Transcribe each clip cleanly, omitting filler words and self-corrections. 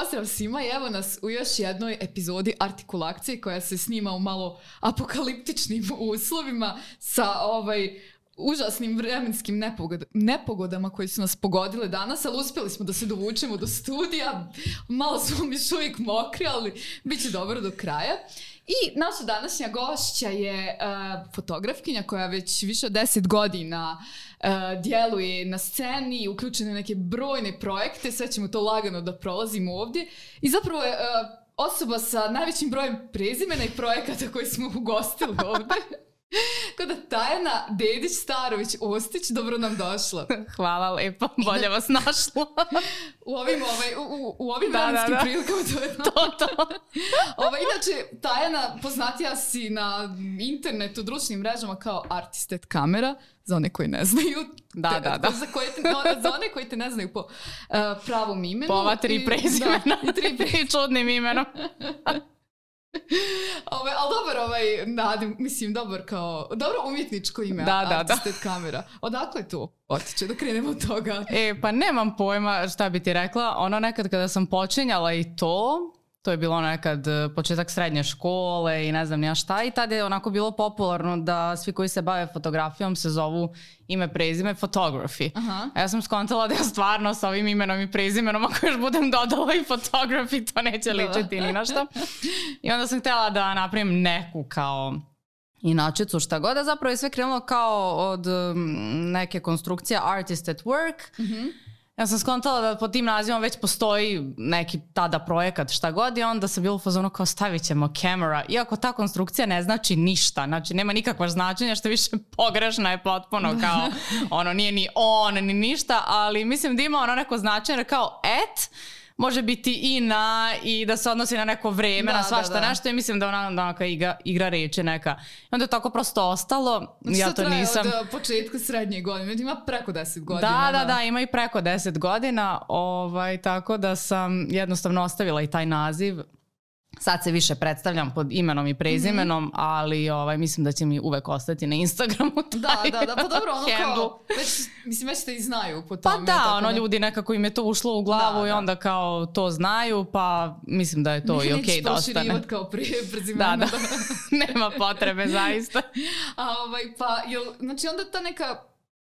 pozdrav svima i evo nas u još jednoj epizodi Artikulakcije koja se snima u malo apokaliptičnim uslovima sa užasnim vremenskim nepogodama koji su nas pogodile danas, ali uspjeli smo da se dovučemo do studija. Malo smo još uvijek mokri, ali bit će dobro do kraja. I naša današnja gošća je fotografkinja koja već više od 10 godina djeluje na sceni i uključena u neke brojne projekte. Sve ćemo to lagano da prolazimo ovdje. I zapravo je osoba sa najvećim brojem prezimena i projekata koji smo ugostili ovdje. Kada Tajana Dedić-Starović-Ostić, dobro nam došla. Hvala lepo, bolje vas našla. U ovim vremenskim prilikama to je to. Inače, Tajana, poznatija si na internetu, društvenim mrežama kao Artisted Kamera, za one koji ne znaju. Da. Za one koji te ne znaju po pravom imenu. Po ova 3 prezimena. I čudnim imenom. Ali dobar dobro umjetničko ime. Artisted Kamera. Odakle to otiče da krenemo od toga? Pa nemam pojma šta bi ti rekla. Ono nekad kada sam počinjala i to je bilo nekad početak srednje škole i ne znam ja šta, i tada je onako bilo popularno da svi koji se bave fotografijom se zovu ime, prezime, photography. A ja sam skontala da ja stvarno sa ovim imenom i prezimenom, ako još budem dodala i photography, to neće ličiti ni na što. I onda sam htjela da napravim neku kao inačicu, šta god, a zapravo je sve krenulo kao od neke konstrukcije Artist at Work. Ja sam skontala da pod tim nazivom već postoji neki tada projekat, šta god, i onda sam bila u fazonu kao stavit ćemo camera, iako ta konstrukcija ne znači ništa, znači nema nikakva značenja, što više pogrešna je potpuno, kao ono nije ni on ni ništa, ali mislim da ima ono neko značenje kao može biti i da se odnosi na neko vreme, na svašta nešto, i mislim da ona igra reči neka. I onda je tako prosto ostalo. Znači ja to nisam od početka srednje godine, ima preko 10 godina. Da, ima i preko 10 godina, tako da sam jednostavno ostavila i taj naziv. Sad se više predstavljam pod imenom i prezimenom, ali mislim da će mi uvek ostati na Instagramu. Da, pa dobro, ono kao, već te i znaju po tome. Pa da, ljudi nekako im je to ušlo u glavu i onda kao to znaju, pa mislim da je to i okej da ostane. Neću proširivati kao prezimena. Da, nema potrebe, zaista. Znači onda ta neka,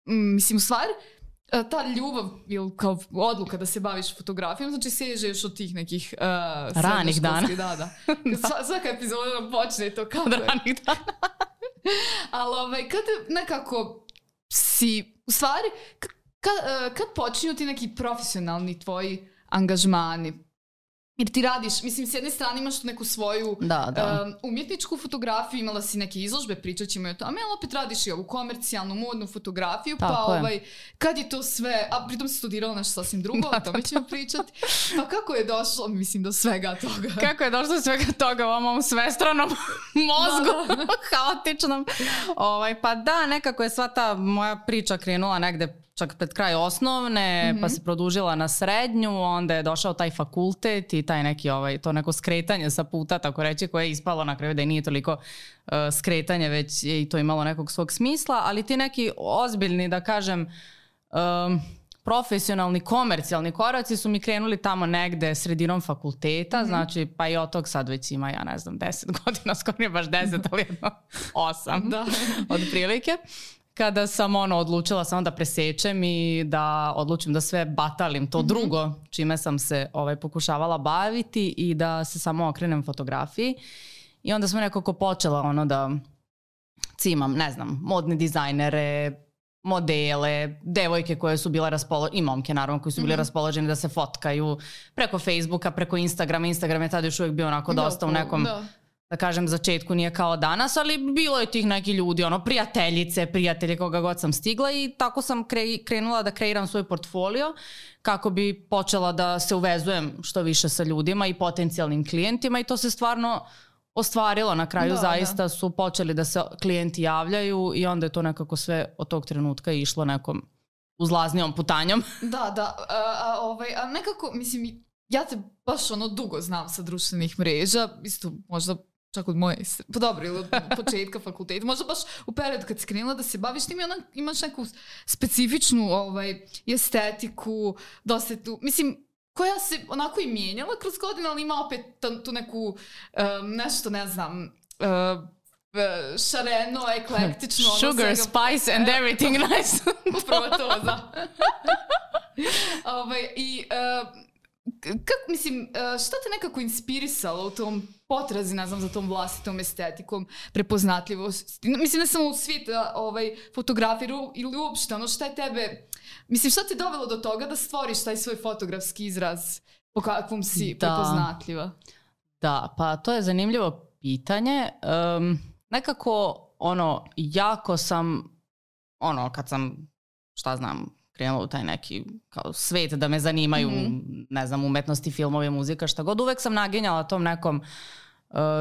mislim, u stvari, ta ljubav ili kao odluka da se baviš fotografijom, znači seže još od tih nekih ranih dana. Da. Svaka epizoda nam počne to kao od ranih dana. Ali kad nekako si, u stvari, kad počinju ti neki profesionalni tvoji angažmani? Jer ti radiš, mislim, s jedne strane imaš tu neku svoju umjetničku fotografiju, imala si neke izložbe, pričat ćemo i o tome, ali opet radiš i ovu komercijalnu, modnu fotografiju, kad je to sve, a pritom si studirala nešto sasvim drugo, o tome ćemo pričati, pa kako je došlo, mislim, do svega toga? Kako je došlo do svega toga u ovom svestranom mozgu, haotičnom? Pa da, nekako je sva ta moja priča krenula negde čak pred kraj osnovne, pa se produžila na srednju, onda je došao taj fakultet i taj neki to neko skretanje sa puta, tako reći, koje je ispalo na kraju da i nije toliko skretanje, već je i to imalo nekog svog smisla, ali ti neki ozbiljni, da kažem, profesionalni, komercijalni koraci su mi krenuli tamo negde sredinom fakulteta, znači pa i od tog sad već ima, ja ne znam, 10 godina, skoro nije baš 10, ali jedno 8 od prilike. Kada sam odlučila samo da presečem i da odlučim da sve batalim to drugo čime sam se pokušavala baviti i da se samo okrenem fotografiji. I onda sam nekako počela da cimam, ne znam, modne dizajnere, modele, devojke koje su bile raspoložene, i momke naravno koji su bili raspoloženi da se fotkaju preko Facebooka, preko Instagrama. Instagram je tada još uvijek bio onako dosta u nekom, da kažem, začetku, nije kao danas, ali bilo je tih neki ljudi, prijatelji, koga god sam stigla, i tako sam krenula da kreiram svoj portfolio kako bi počela da se uvezujem što više sa ljudima i potencijalnim klijentima, i to se stvarno ostvarilo. Na kraju zaista su počeli da se klijenti javljaju i onda je to nekako sve od tog trenutka išlo nekom uzlaznijom putanjom. A nekako, mislim, ja te baš dugo znam sa društvenih mreža, isto možda čak od moje, pa dobro, ili od početka fakulteta, možda baš u periodu kad si krenula da se baviš tim, imaš neku specifičnu estetiku, dosta tu, mislim, koja se onako i mijenjala kroz godine, ali ima opet tu neku, nešto, ne znam, šareno, eklektično. Sugar, spice and everything nice. Upravo to, da. I kako, mislim, šta te nekako inspirisalo u tom potrazi, ne znam, za tom vlastitom estetikom, prepoznatljivosti? Mislim, ne samo u svijet fotografije ili uopšte, ono šta je tebe, mislim, šta te dovelo do toga da stvoriš taj svoj fotografski izraz po kakvom si prepoznatljiva? Da, pa to je zanimljivo pitanje. Nekako, jako sam, kad sam, šta znam, krenula u taj neki kao svet da me zanimaju, ne znam, umetnosti, filmovi, muzika, šta god. Uvek sam naginjala tom nekom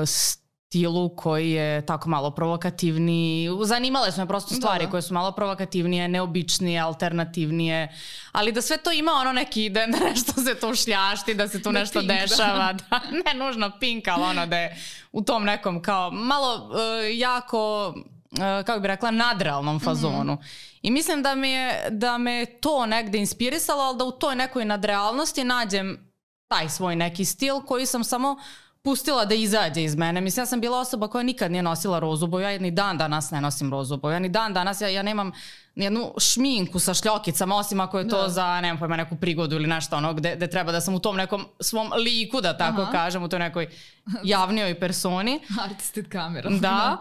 stilu koji je tako malo provokativniji. Zanimale su me prosto stvari koje su malo provokativnije, neobičnije, alternativnije, ali da sve to ima neki, da nešto se tu šljašti, da se tu nešto pink, dešava, da ne nužno pink, ali da je u tom nekom kao malo jako, kako bih rekla, nadrealnom fazonu. I mislim da me to negde inspirisalo, ali da u toj nekoj nadrealnosti nađem taj svoj neki stil koji sam samo pustila da izađe iz mene. Mislim, ja sam bila osoba koja nikad nije nosila rozu boju, ja ni dan danas ne nosim rozu boju, ja ni dan danas, ja nemam jednu šminku sa šljokicama, osim ako je to za, nemam pojma, neku prigodu ili nešto gde treba da sam u tom nekom svom liku, da tako kažem, u toj nekoj javnijoj personi. Artisted kamera. Da.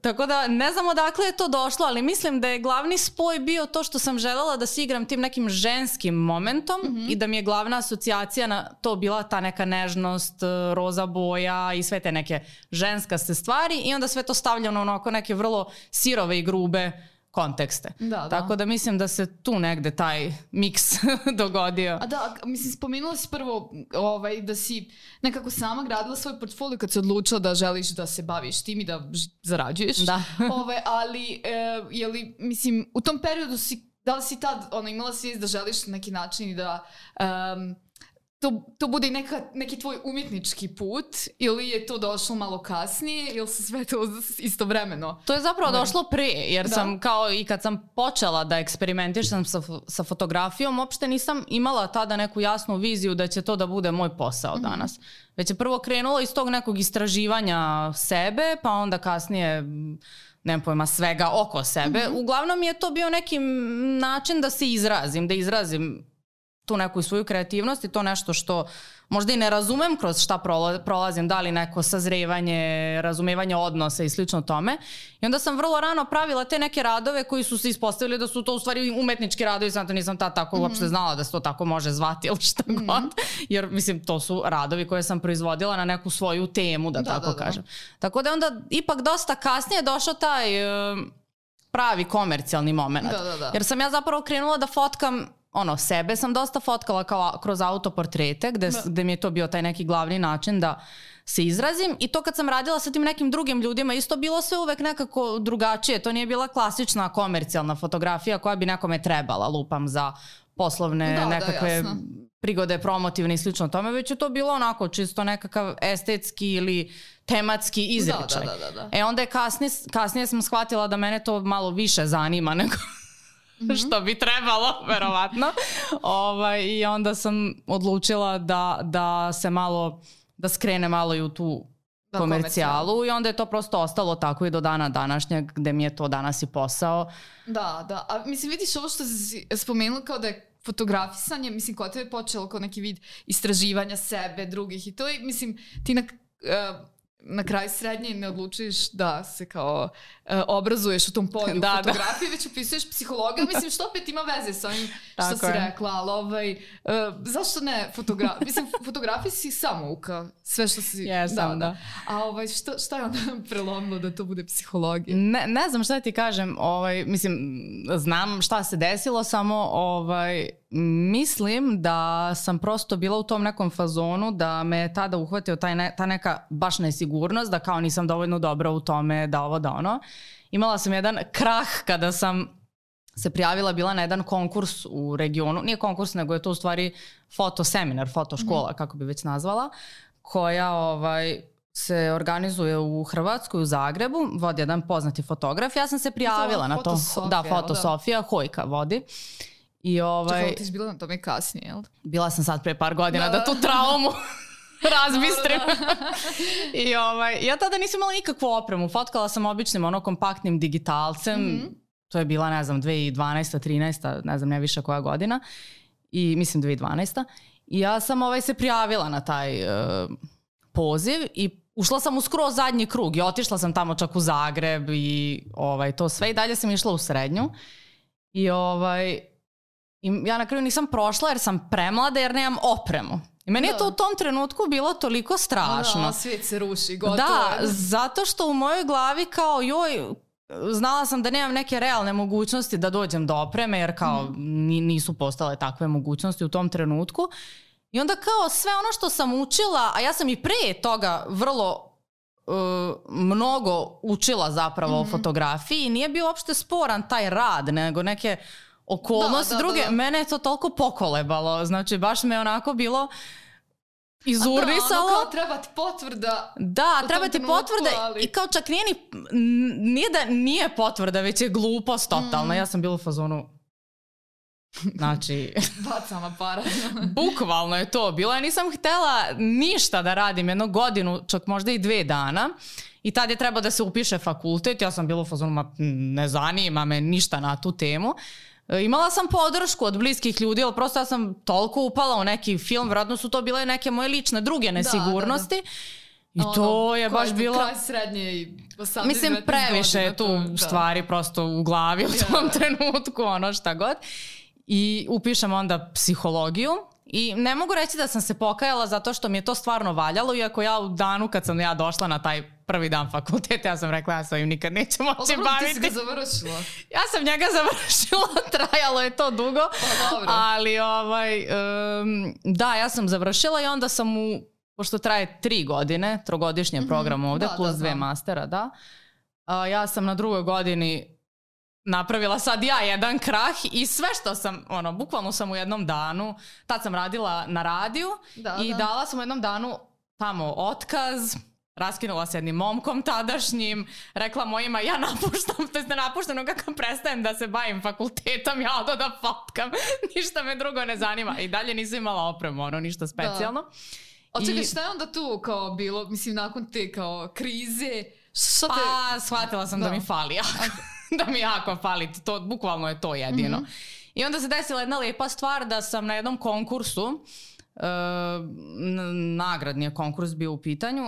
Tako da ne znam odakle je to došlo, ali mislim da je glavni spoj bio to što sam želela da se igram tim nekim ženskim momentom i da mi je glavna asocijacija na to bila ta neka nežnost, roza boja i sve te neke ženskaste stvari i onda sve to stavljeno na oko neke vrlo sirove i grube kontekste. Tako da mislim da se tu negde taj miks dogodio. A da, mislim, spomenula si prvo da si nekako sama gradila svoj portfolio kad si odlučila da želiš da se baviš tim i da zarađuješ. Da. Ali, je li, mislim, u tom periodu da li si tad imala svijest da želiš na neki način i da to bude i neki tvoj umjetnički put ili je to došlo malo kasnije ili se sve to istovremeno? To je zapravo došlo pre, jer sam kao i kad sam počela da eksperimentišem sa fotografijom, uopšte nisam imala tada neku jasnu viziju da će to da bude moj posao danas. Već je prvo krenulo iz tog nekog istraživanja sebe, pa onda kasnije nemam pojma, svega oko sebe. Uglavnom je to bio neki način da se izrazim tu neku svoju kreativnost i to nešto što možda i ne razumem kroz šta prolazim, da li neko sazrevanje, razumevanje odnosa i slično tome. I onda sam vrlo rano pravila te neke radove koji su se ispostavili da su to u stvari umetnički radovi, sam to nisam tako uopšte znala da se to tako može zvati ili šta god. Jer mislim to su radovi koje sam proizvodila na neku svoju temu, da tako kažem. Tako da onda ipak dosta kasnije došao taj pravi komercijalni moment. Jer sam ja zapravo krenula da fotkam sebe sam dosta fotkala kroz autoportrete gde mi je to bio taj neki glavni način da se izrazim i to kad sam radila sa tim nekim drugim ljudima isto bilo sve uvek nekako drugačije, to nije bila klasična komercijalna fotografija koja bi nekome trebala, lupam, za poslovne nekakve prigode, promotivne i slično tome, već je to bilo onako čisto nekakav estetski ili tematski izričaj. Onda je kasnije sam shvatila da mene to malo više zanima nego što bi trebalo, verovatno. I onda sam odlučila da se malo, da skrene malo i u tu komercijalu i onda je to prosto ostalo tako i do dana današnjeg gde mi je to danas i posao. Da. A mislim, vidiš ovo što si spomenula kao da je fotografisanje, mislim, kod tebe je počelo kao neki vid istraživanja sebe, drugih i to je, mislim, ti na kraju srednje ne odlučiš da se kao obrazuješ u tom polju fotografije, već upisuješ psihologiju, mislim što opet ima veze sa ovim što si rekla, ali zašto ne fotografija? Mislim, fotografija si samouka, sve što si... Jesam, da. A šta je onda prelomilo da to bude psihologija? Ne znam šta ti kažem, mislim, znam šta se desilo, samo mislim da sam prosto bila u tom nekom fazonu da me je tada uhvatio ta neka baš nesigurnost, da kao nisam dovoljno dobra u tome, da ovo, da ono. Imala sam jedan krah kada sam se prijavila, bila na jedan konkurs u regionu, nije konkurs nego je to u stvari fotoseminar, fotoškola, kako bi već nazvala, koja se organizuje u Hrvatskoj, u Zagrebu, vodi jedan poznati fotograf. Ja sam se prijavila na to. Da, Foto Sofija, Hojka vodi. Čekala, ti si bila na tome kasnije, jel? Bila sam sad pre par godina da tu traumu razbistrim. I ja tada nisam imala nikakvu opremu. Fotkala sam običnim kompaktnim digitalcem. To je bila, ne znam, 2012. 13. ne znam, ne više koja godina. I mislim 2012. I ja sam se prijavila na taj poziv i ušla sam u skroz zadnji krug i otišla sam tamo čak u Zagreb i to sve. I dalje sam išla u srednju. I ja na kraju nisam prošla jer sam premlada jer nemam opremu. I meni je to u tom trenutku bilo toliko strašno. Da, svijet se ruši, gotovo. Da, zato što u mojoj glavi kao znala sam da nemam neke realne mogućnosti da dođem do opreme jer kao nisu postale takve mogućnosti u tom trenutku. I onda kao sve ono što sam učila, a ja sam i pre toga vrlo mnogo učila zapravo o fotografiji i nije bio uopšte sporan taj rad, nego neke okolnosti druge. Mene je to toliko pokolebalo, znači baš me onako bilo izurnisalo. Kao treba ti potvrda. Da, treba ti potvrda i kao čak nije da nije potvrda, već je glupost totalna. Ja sam bila u fazonu, znači bacam aparat. Bukvalno je to bilo. Ja nisam htjela ništa da radim jednu godinu, čak možda i 2 dana. I tad je trebao da se upiše fakultet. Ja sam bila u fazonu, ne zanima me ništa na tu temu. Imala sam podršku od bliskih ljudi, ali prosto ja sam toliko upala u neki film, vjerojatno su to bile neke moje lične druge nesigurnosti. I to je baš bilo... Kraj srednje i 18. Mislim, previše je tu stvari prosto u glavi u tom trenutku, šta god. I upišem onda psihologiju. I ne mogu reći da sam se pokajala zato što mi je to stvarno valjalo, iako ja u danu kad sam ja došla na taj prvi dan fakulteta, ja sam rekla ja sam im nikad neću moći baviti. Ti si ga završila. Ja sam njega završila, trajalo je to dugo, ali da, ja sam završila i onda sam pošto traje 3 godine, 3-godišnji program ovde, plus 2 mastera, da. Ja sam na 2. godini napravila sad ja jedan krah i sve što sam, bukvalno sam u jednom danu, tad sam radila na radiju i dala sam u jednom danu tamo otkaz, raskinula se jednim momkom tadašnjim, rekla mojima ja napuštam, to je ne napuštam, kako prestajem da se bavim fakultetom, ja odo da fotkam, ništa me drugo ne zanima i dalje nisam imala opremu, ništa specijalno. Čekaj, šta je onda tu kao bilo, mislim, nakon te kao krize? Pa, shvatila sam da mi fali jako. Da mi jako fali, bukvalno je to jedino. I onda se desila jedna lepa stvar da sam na jednom konkursu, nagradni je konkurs bio u pitanju,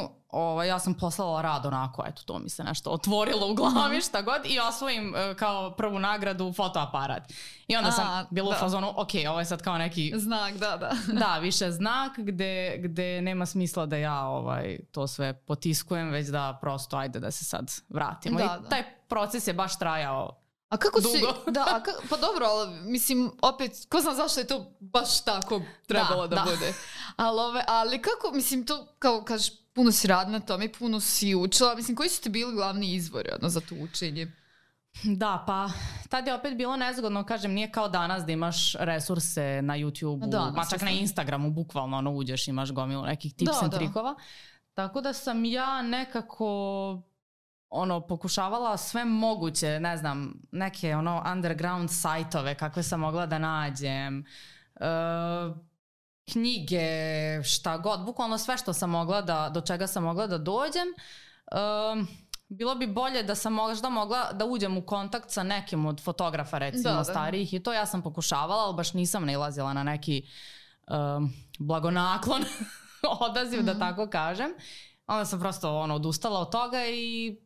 ja sam poslala rad onako, eto, to mi se nešto otvorilo u glavi, šta god, i osvojim kao prvu nagradu fotoaparat. I onda sam bila u fazonu, ok, ovo je sad kao neki... Znak, da. Da, više znak gde nema smisla da ja to sve potiskujem, već da prosto ajde da se sad vratimo. I taj proces je baš trajao. A kako dugo. Pa dobro, ali mislim, opet, ko znam zašto je to baš tako trebalo da bude. Ali kako, mislim, to, kao kažeš, puno si radila na tome, puno si učila, mislim, koji su ti bili glavni izvori za to učenje? Da, pa tad je opet bilo nezgodno, kažem, nije kao danas da imaš resurse na YouTube-u, ma čak na Instagramu, bukvalno uđeš, imaš gomilu nekih tips and trikova. Tako da sam ja nekako... pokušavala sve moguće, ne znam, neke underground sajtove kakve sam mogla da nađem, knjige, šta god, bukvalno sve što sam mogla do čega sam mogla da dođem. Bilo bi bolje da sam možda mogla da uđem u kontakt sa nekim od fotografa, recimo starijih, i to ja sam pokušavala, ali baš nisam nailazila na neki blagonaklon odaziv, da tako kažem. Onda sam prosto odustala od toga i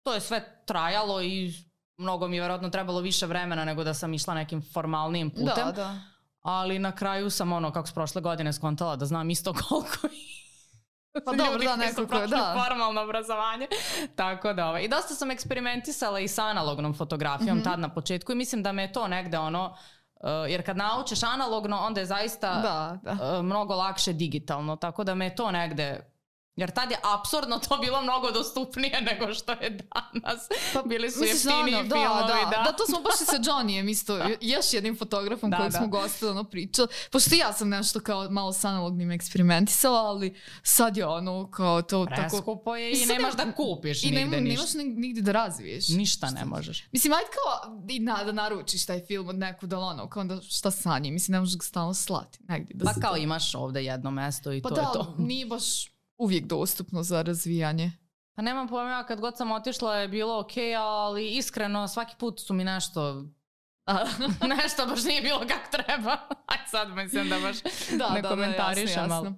to je sve trajalo i mnogo mi je vjerojatno trebalo više vremena nego da sam išla nekim formalnijim putem. Da. Ali na kraju sam kako s prošle godine skontala da znam isto koliko pa dobro, da, nekako, da. Formalno obrazovanje. Tako da, i dosta sam eksperimentisala i sa analognom fotografijom tad na početku i mislim da me je to negde jer kad naučiš analogno, onda je zaista mnogo lakše digitalno. Tako da me je to negde Jer tad je apsurdno to bilo mnogo dostupnije nego što je danas. Pa, bili su jeftiniji filmovi. Da, to smo baš i sa Johnnyjem isto. Još jednim fotografom kojeg smo gostovano pričali. Pošto ja sam nešto kao malo s analognim eksperimentisala, ali sad je ono kao to tako... Preskupo je i nemaš da kupiš nigde ništa. I nemaš nigde da razviješ. Ništa ne možeš. Mislim, ajde kao da naručiš taj film od nekud, ali ono, kao onda šta sa njim? Mislim, ne možeš ga stalno slati. Pa kao imaš ovde jedno mesto i to je to. Pa da, nije baš uvijek dostupno za razvijanje. Pa nemam pojma, kad god sam otišla je bilo okej, ali iskreno svaki put su mi nešto baš nije bilo kako treba. Aj sad mislim da baš ne komentarišem. Jasno.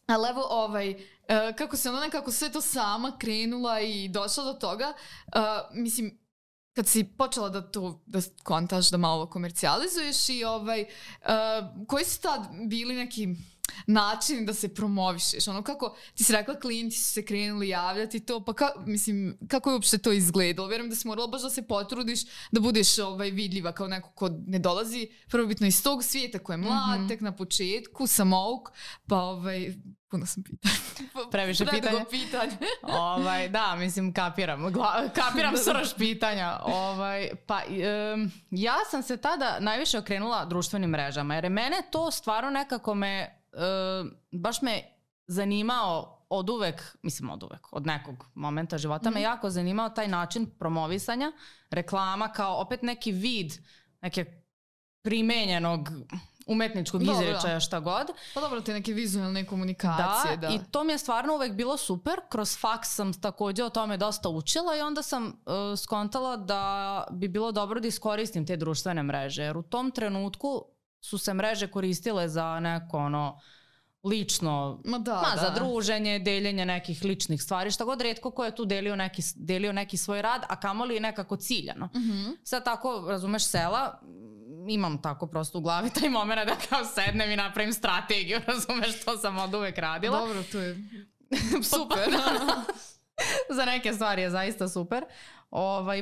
Ali evo kako se ono nekako sve to sama krenula i došla do toga, mislim, kad si počela da kontaš, da malo komercijalizuješ i koji su tad bili neki način da se promovišeš, ono kako ti si rekla, klijenti su se krenuli javljati to, pa kako je uopšte to izgledalo? Vjerujem da si morala baš da se potrudiš da budeš vidljiva kao neko ko ne dolazi prvobitno iz tog svijeta, ko je mlad, tek na početku, samouk, pa puno sam pitanja. Previše pitanja. Da, mislim, kapiram srž pitanja. Ja sam se tada najviše okrenula društvenim mrežama, jer je mene to stvarno nekako baš me zanimao od nekog momenta života me jako zanimao taj način promovisanja, reklama kao opet neki vid neke primenjenog umetničkog izrečaja, šta god. Pa dobro, te neke vizualne komunikacije. Da, i to mi je stvarno uvek bilo super. Kroz faks sam također o tome dosta učila i onda sam skontala da bi bilo dobro da iskoristim te društvene mreže. Jer u tom trenutku su se mreže koristile za neko lično, za druženje, deljenje nekih ličnih stvari, šta god, retko ko je tu delio neki svoj rad, a kamoli nekako ciljano. Sad tako, razumeš, sela, imam tako prosto u glavi taj moment da kao sednem i napravim strategiju, razumeš, to sam od uvek radila. Dobro, to je super. Za neke stvari je zaista super.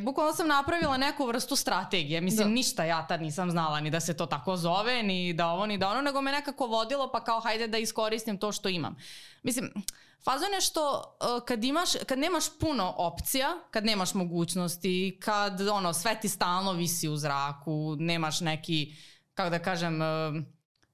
Bukvalno sam napravila neku vrstu strategije. Mislim, ništa ja tad nisam znala ni da se to tako zove, ni da ovo, ni da ono, nego me nekako vodilo, pa kao hajde da iskoristim to što imam. Mislim, fazon je što kad nemaš puno opcija, kad nemaš mogućnosti, kad sve ti stalno visi u zraku, nemaš neki, kako da kažem,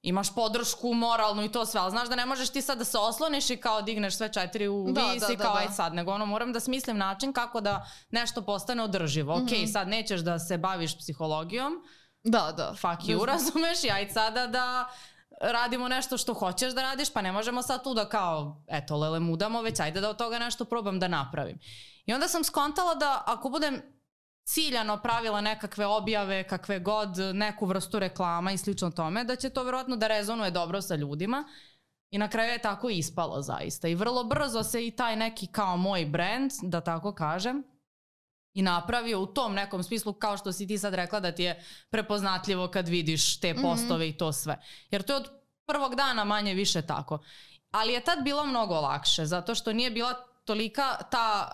imaš podršku moralnu i to sve, ali znaš da ne možeš ti sad da se osloniš i kao digneš sve 4 u vis i kao aj sad, nego moram da smislim način kako da nešto postane održivo. Okej, sad nećeš da se baviš psihologijom, fuck you, razumeš, i aj sada da radimo nešto što hoćeš da radiš, pa ne možemo sad tu da kao, eto, lele mudamo, već ajde da od toga nešto probam da napravim. I onda sam skontala da ako budem ciljano pravila nekakve objave, kakve god, neku vrstu reklama i slično tome, da će to vjerojatno da rezonuje dobro sa ljudima. I na kraju je tako ispalo zaista. I vrlo brzo se i taj neki kao moj brand, da tako kažem, i napravio u tom nekom smislu, kao što si ti sad rekla, da ti je prepoznatljivo kad vidiš te postove i to sve. Jer to je od prvog dana manje više tako. Ali je tad bilo mnogo lakše, zato što nije bila tolika ta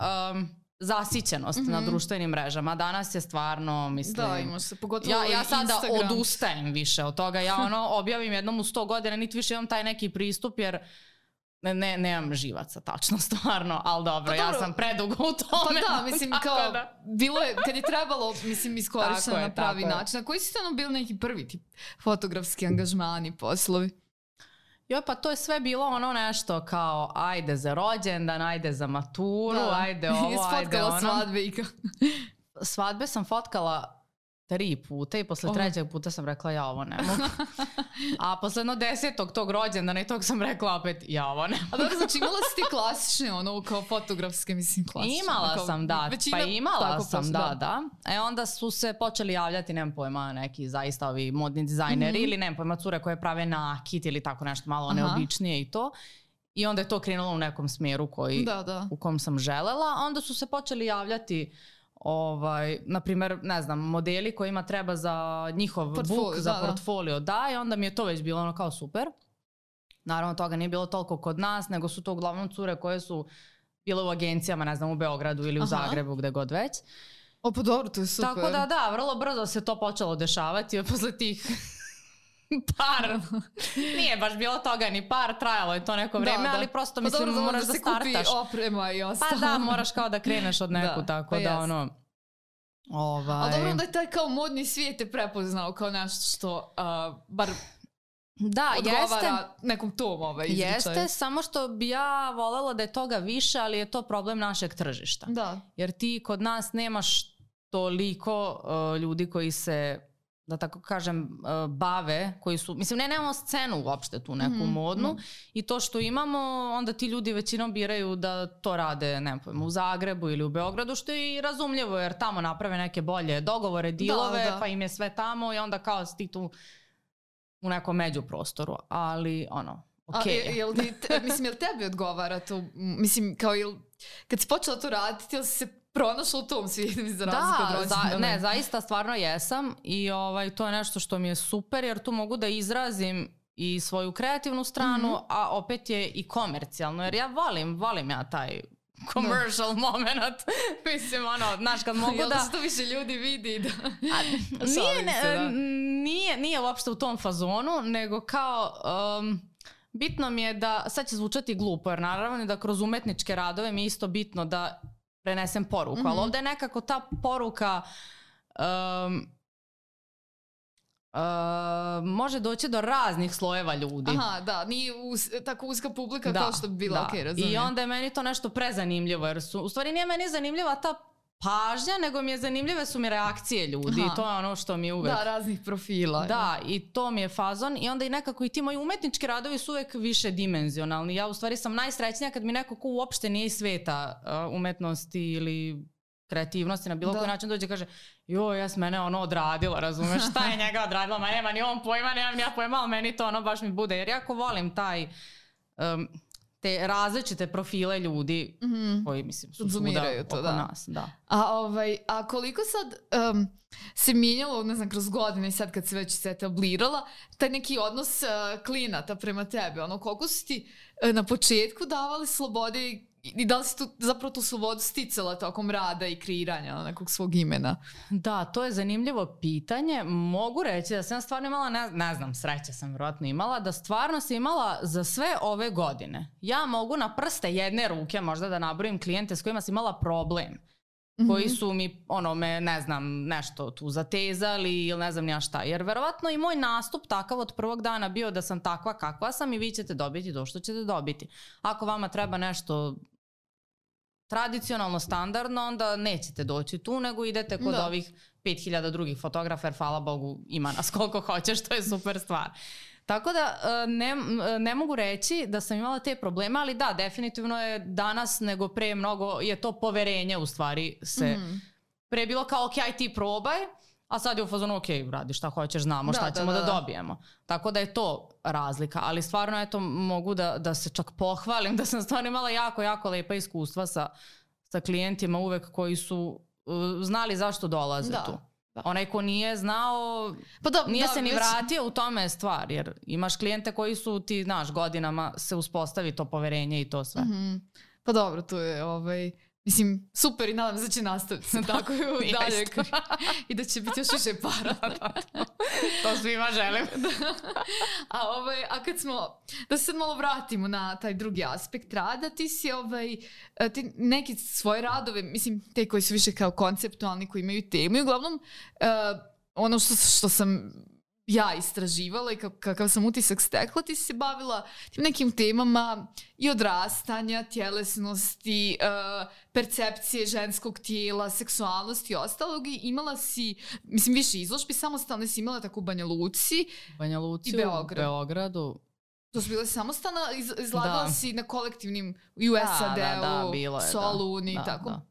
zasićenost na društvenim mrežama. Danas je stvarno, mislim... Da, imaš se, pogotovo ja sada odustajem više od toga. Ja objavim jednom u 100 godina, niti više imam taj neki pristup, jer nemam živaca, tačno, stvarno, ali dobro, ja sam predugo u tome. Pa da, mislim, kao, bilo je, kad je trebalo, mislim, iskorišteno na pravi način. A koji su to bili neki prvi tip fotografski angažmani, poslovi? Joj, pa to je sve bilo nešto kao ajde za rođendan, ajde za maturu, ajde ovo, ajde ono. Isfotkala svadbe i kao... Svadbe sam fotkala 3 puta i posle 3. puta sam rekla ja ovo ne mogu. A posle 10. tog rođendana i tog sam rekla opet ja ovo ne mogu. A dobro, znači imala si ti klasične kao fotografske, mislim, klasične? Imala sam, da. Pa imala sam, da. Onda su se počeli javljati, nemam pojma, neki zaista ovi modni dizajneri ili nemam pojma, cure koje prave nakit ili tako nešto malo neobičnije i to. I onda je to krenulo u nekom smjeru u kom sam želela. Onda su se počeli javljati na primjer, ne znam, modeli kojima treba za njihov book, za portfolio, i onda mi je to već bilo kao super. Naravno, toga nije bilo toliko kod nas, nego su to uglavnom cure koje su bile u agencijama, ne znam, u Beogradu ili u Zagrebu, gde god već. Pa dobro, to je super. Tako da, vrlo brzo se to počelo dešavati posle tih Par. Nije baš bilo toga ni par, trajalo je to neko vreme, ali prosto mislim moraš da startaš. Da se kupi oprema i ostalo. Pa da, moraš kao da kreneš od neku, tako da ono... Ali dobro da je taj kao modni svijet je prepoznao kao nešto što bar odgovara nekom tom izričaju. Jeste, samo što bi ja voljela da je toga više, ali je to problem našeg tržišta. Da. Jer ti kod nas nemaš toliko ljudi koji se, da tako kažem, bave, koji su, mislim, nemamo scenu uopšte tu neku modnu i to što imamo, onda ti ljudi većinom biraju da to rade, ne pojma, u Zagrebu ili u Beogradu, što je i razumljivo jer tamo naprave neke bolje dogovore, dilove, pa im je sve tamo i onda kao si ti tu u nekom međuprostoru, ali ono, okej. Mislim, jel tebi odgovara to? Mislim, kao kad si počela to raditi, jel si se pronašla u tom svijetu za razliku od rođena? Ne, zaista stvarno jesam i to je nešto što mi je super jer tu mogu da izrazim i svoju kreativnu stranu, a opet je i komercijalno, jer ja volim ja taj commercial moment. Mislim, znaš, kad mogu da... Jel to više ljudi vidi da... Nije uopšte u tom fazonu, nego kao... bitno mi je da, sad će zvučati glupo, jer naravno da kroz umetničke radove mi je isto bitno da prenesem poruku, ali ovdje je nekako ta poruka može doći do raznih slojeva ljudi. Aha, da, nije tako uska publika kao što bi bila, okej, razumijem. I onda je meni to nešto prezanimljivo, jer u stvari nije meni zanimljiva ta pažnja, nego mi je zanimljive su mi reakcije ljudi i to je ono što mi je uvek... Da, raznih profila. Da, i to mi je fazon i onda i nekako i ti moji umetnički radovi su uvek više dimenzionalni. Ja u stvari sam najsrećnija kad mi neko ko uopšte nije iz sveta umetnosti ili kreativnosti na bilo koji način dođe i kaže joj, ja sam mene odradila, razumeš, šta je njega odradila, ma nema ni on pojma, nemam ni ja pojma, ali meni to baš mi bude, jer jako volim te različite profile ljudi koji, mislim, su svuda oko nas. Da. A koliko sad se mijenjalo, ne znam, kroz godine, sad kad se već se etablirala, taj neki odnos klijenata prema tebi, koliko su ti na početku davali slobode i da li si zapravo tu slobodu sticala tokom rada i kreiranja nekog svog imena? Da, to je zanimljivo pitanje. Mogu reći da sam stvarno imala, ne znam, sreće sam vjerojatno imala, da stvarno sam imala za sve ove godine. Ja mogu na prste jedne ruke možda da nabrojim klijente s kojima sam imala problem. Koji su mi, me, ne znam, nešto tu zatezali ili ne znam nija šta. Jer verovatno i moj nastup takav od prvog dana bio da sam takva kakva sam i vi ćete dobiti to što ćete dobiti. Ako vama treba nešto tradicionalno, standardno, onda nećete doći tu, nego idete kod ovih 5000 drugih fotografa, jer hvala Bogu ima nas koliko hoćeš, to je super stvar. Tako da ne mogu reći da sam imala te probleme, ali da, definitivno je danas nego pre mnogo, je to poverenje u stvari se pre bilo kao ok, aj ti probaj, a sad je u fazonu ok, radi šta hoćeš, znamo šta ćemo da dobijemo. Tako da je to razlika, ali stvarno eto mogu da se čak pohvalim da sam stvarno imala jako, jako lepa iskustva sa klijentima uvek koji su znali zašto dolaze tu. Onaj ko nije znao, nije se ni vratio u tome stvar, jer imaš klijente koji su ti, znaš, godinama se uspostavi to poverenje i to sve. Pa dobro, to je mislim, super i nadam se da će nastaviti se tako i dalje i da će biti još više para. To svima želim. A kad smo, da se sad malo vratimo na taj drugi aspekt rada, ti si ti neki svoje radove, mislim, te koji su više kao konceptualni, koji imaju temu i uglavnom ono što sam ja istraživala i kakav sam utisak stekla, ti si se bavila tim nekim temama i odrastanja, tjelesnosti, percepcije ženskog tijela, seksualnosti i ostalog i imala si, mislim, više izložbi, samostalne si imala tako u Banja Luci i Beogradu. To su bile samostalna, izlagala si na kolektivnim u SAD-u, Solun i tako.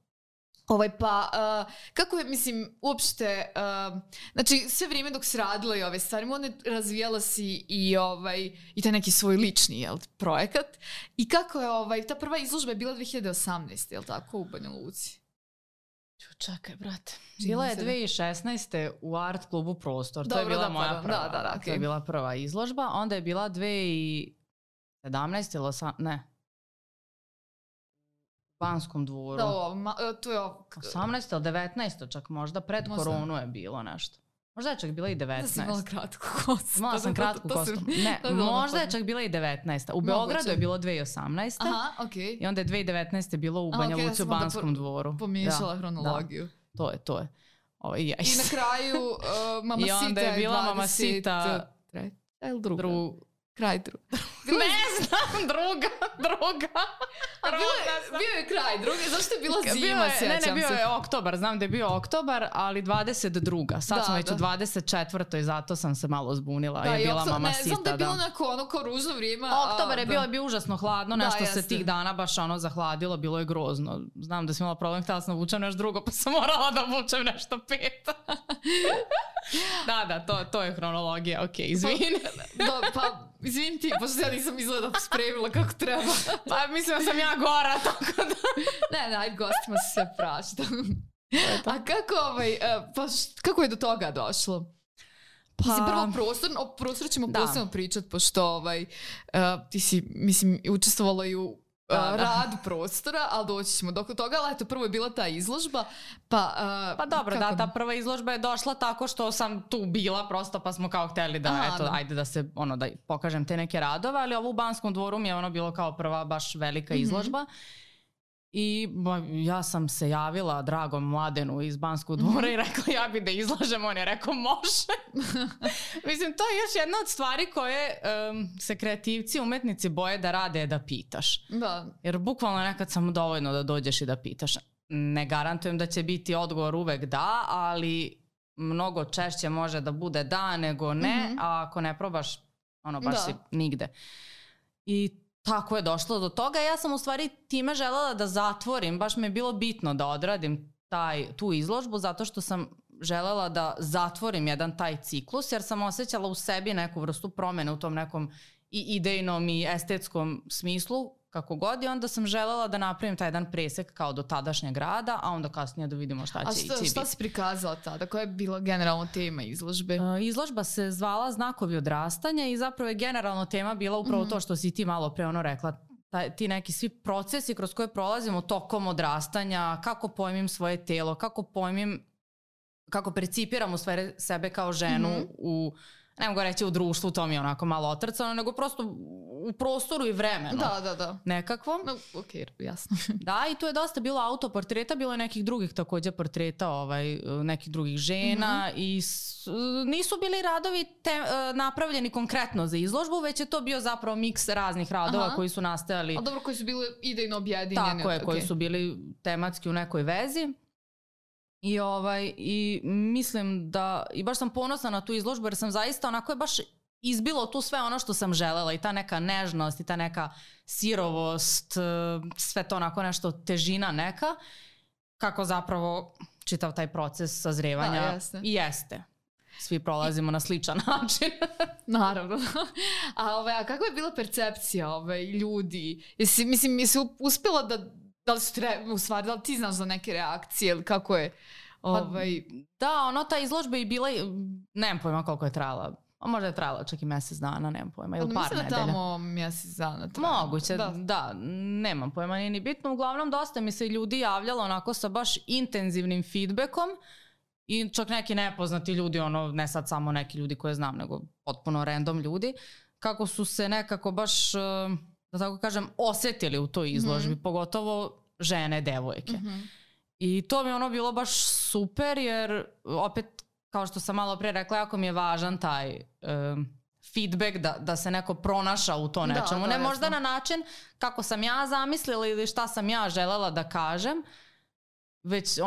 Kako je, mislim, uopšte, znači sve vrijeme dok si radila i ove stvari, razvijala si i taj neki svoj lični projekat. I kako je, ta prva izložba je bila 2018, je li tako, u Banja Luci? Čekaj, brate. Bila je 2016. u Art klubu Prostor. To je bila moja prva. To je bila prva izložba. Onda je bila 2017 ili 18, ne. Banskom dvoru. To je 18 ili 19 čak možda, pred koronu je bilo nešto. Možda je čak bila i 19. Da si imala kratku kostu. Imala sam kratku kostu. Ne, možda je čak bila i 19. U Beogradu je bilo 2018. Aha, okej. I onda je 2019. bilo u Banja Luci u Banskom dvoru. Pomiješala hronologiju. Da, to je. I na kraju Mama Sita je 20... I onda je bila Mama Sita... Treća ili druga? Kraj druga. Ne znam, druga. Bio je kraj druge, zašto je bila zima, sjećam se. Ne, bio je oktobar, znam da je bio oktobar, ali 22. Sad smo već u 24. zato sam se malo zbunila. Da, je bila Mama Sita. Znam da je bilo neko kao ružno vrijeme. Oktobar je bio užasno hladno, nešto se tih dana baš zahladilo, bilo je grozno. Znam da sam imala problem, htjela sam vučem nešto drugo, pa sam morala da vučem nešto pet. Da, to je hronologija, okej, izvini. Pa, izvini ti, pošto ja nisam izgleda spremila kako treba. Pa mislim da sam ja gora, tako da... Ne, ajde, gostima se sve prašta. A kako je do toga došlo? Pa... Mislim, prvo prostor ćemo posebno pričati, pošto ti si, mislim, učestvovala i u radu prostora, ali doći ćemo do toga, ali eto, prvo je bila ta izložba, pa dobro, da, ta prva izložba je došla tako što sam tu bila prosto, pa smo kao htjeli da, ajde da se, da pokažem te neke radove, ali ovo u Banskom dvoru mi je bilo kao prva baš velika izložba. I ja sam se javila dragom Mladenu iz Banskog dvora i rekla ja bi da izlažem, on je rekao može. Mislim, to je još jedna od stvari koje se kreativci, umetnici boje da rade, da pitaš. Da. Jer bukvalno nekad samo dovoljno da dođeš i da pitaš. Ne garantujem da će biti odgovor uvek da, ali mnogo češće može da bude da nego ne, a ako ne probaš, baš si nigde. I tako je došlo do toga. Ja sam u stvari time želela da zatvorim, baš mi je bilo bitno da odradim tu izložbu zato što sam želela da zatvorim jedan taj ciklus jer sam osjećala u sebi neku vrstu promjene u tom nekom i idejnom i estetskom smislu kako god i onda sam želela da napravim taj jedan presek kao do tadašnjeg rada, a onda kasnije da vidimo šta će ići. A šta si prikazala tada? Koja je bila generalno tema izložbe? Izložba se zvala Znakovi odrastanja i zapravo je generalno tema bila upravo to što si ti malo pre rekla. Ti neki svi procesi kroz koje prolazimo tokom odrastanja, kako pojmim svoje telo, kako percipiram u stvari sebe kao ženu ne mogu reći u društvu, to mi je onako malo otrcano, nego prosto u prostoru i vremenu. Da. Nekakvom. No, okej, jasno. Da, i tu je dosta bilo autoportreta, bilo je nekih drugih također portreta, nekih drugih žena i nisu bili radovi napravljeni konkretno za izložbu, već je to bio zapravo miks raznih radova koji su nastajali. A dobro, koji su bili idejno objedinjeni. Tako je, koji su bili tematski u nekoj vezi. I mislim da, i baš sam ponosna na tu izložbu jer sam zaista onako je baš izbilo tu sve ono što sam želela i ta neka nežnost i ta neka sirovost, sve to onako nešto težina neka, kako zapravo čitav taj proces sazrevanja i jeste. Svi prolazimo na sličan način. Naravno. A kako je bila percepcija ljudi? Jesi uspjela da li su u stvari, da li ti znaš za neke reakcije ili kako je? Da, ta izložba je bila, nemam pojma koliko je trajala. Možda je trajala čak i mjesec dana, nemam pojma, ili par nedelja. Mislim da tamo mjesec dana trajala. Moguće, da, nemam pojma, nije ni bitno. Uglavnom, dosta mi se ljudi javljalo onako sa baš intenzivnim feedbackom i čak neki nepoznati ljudi, ne sad samo neki ljudi koje znam, nego potpuno random ljudi, kako su se nekako baš, da tako kažem, osjetili u toj izložbi, pogotovo žene, devojke. I to mi je bilo baš super jer opet, kao što sam malo prije rekla, jako mi je važan taj feedback da se neko pronaša u to nečemu. Ne možda na način kako sam ja zamislila ili šta sam ja želela da kažem, već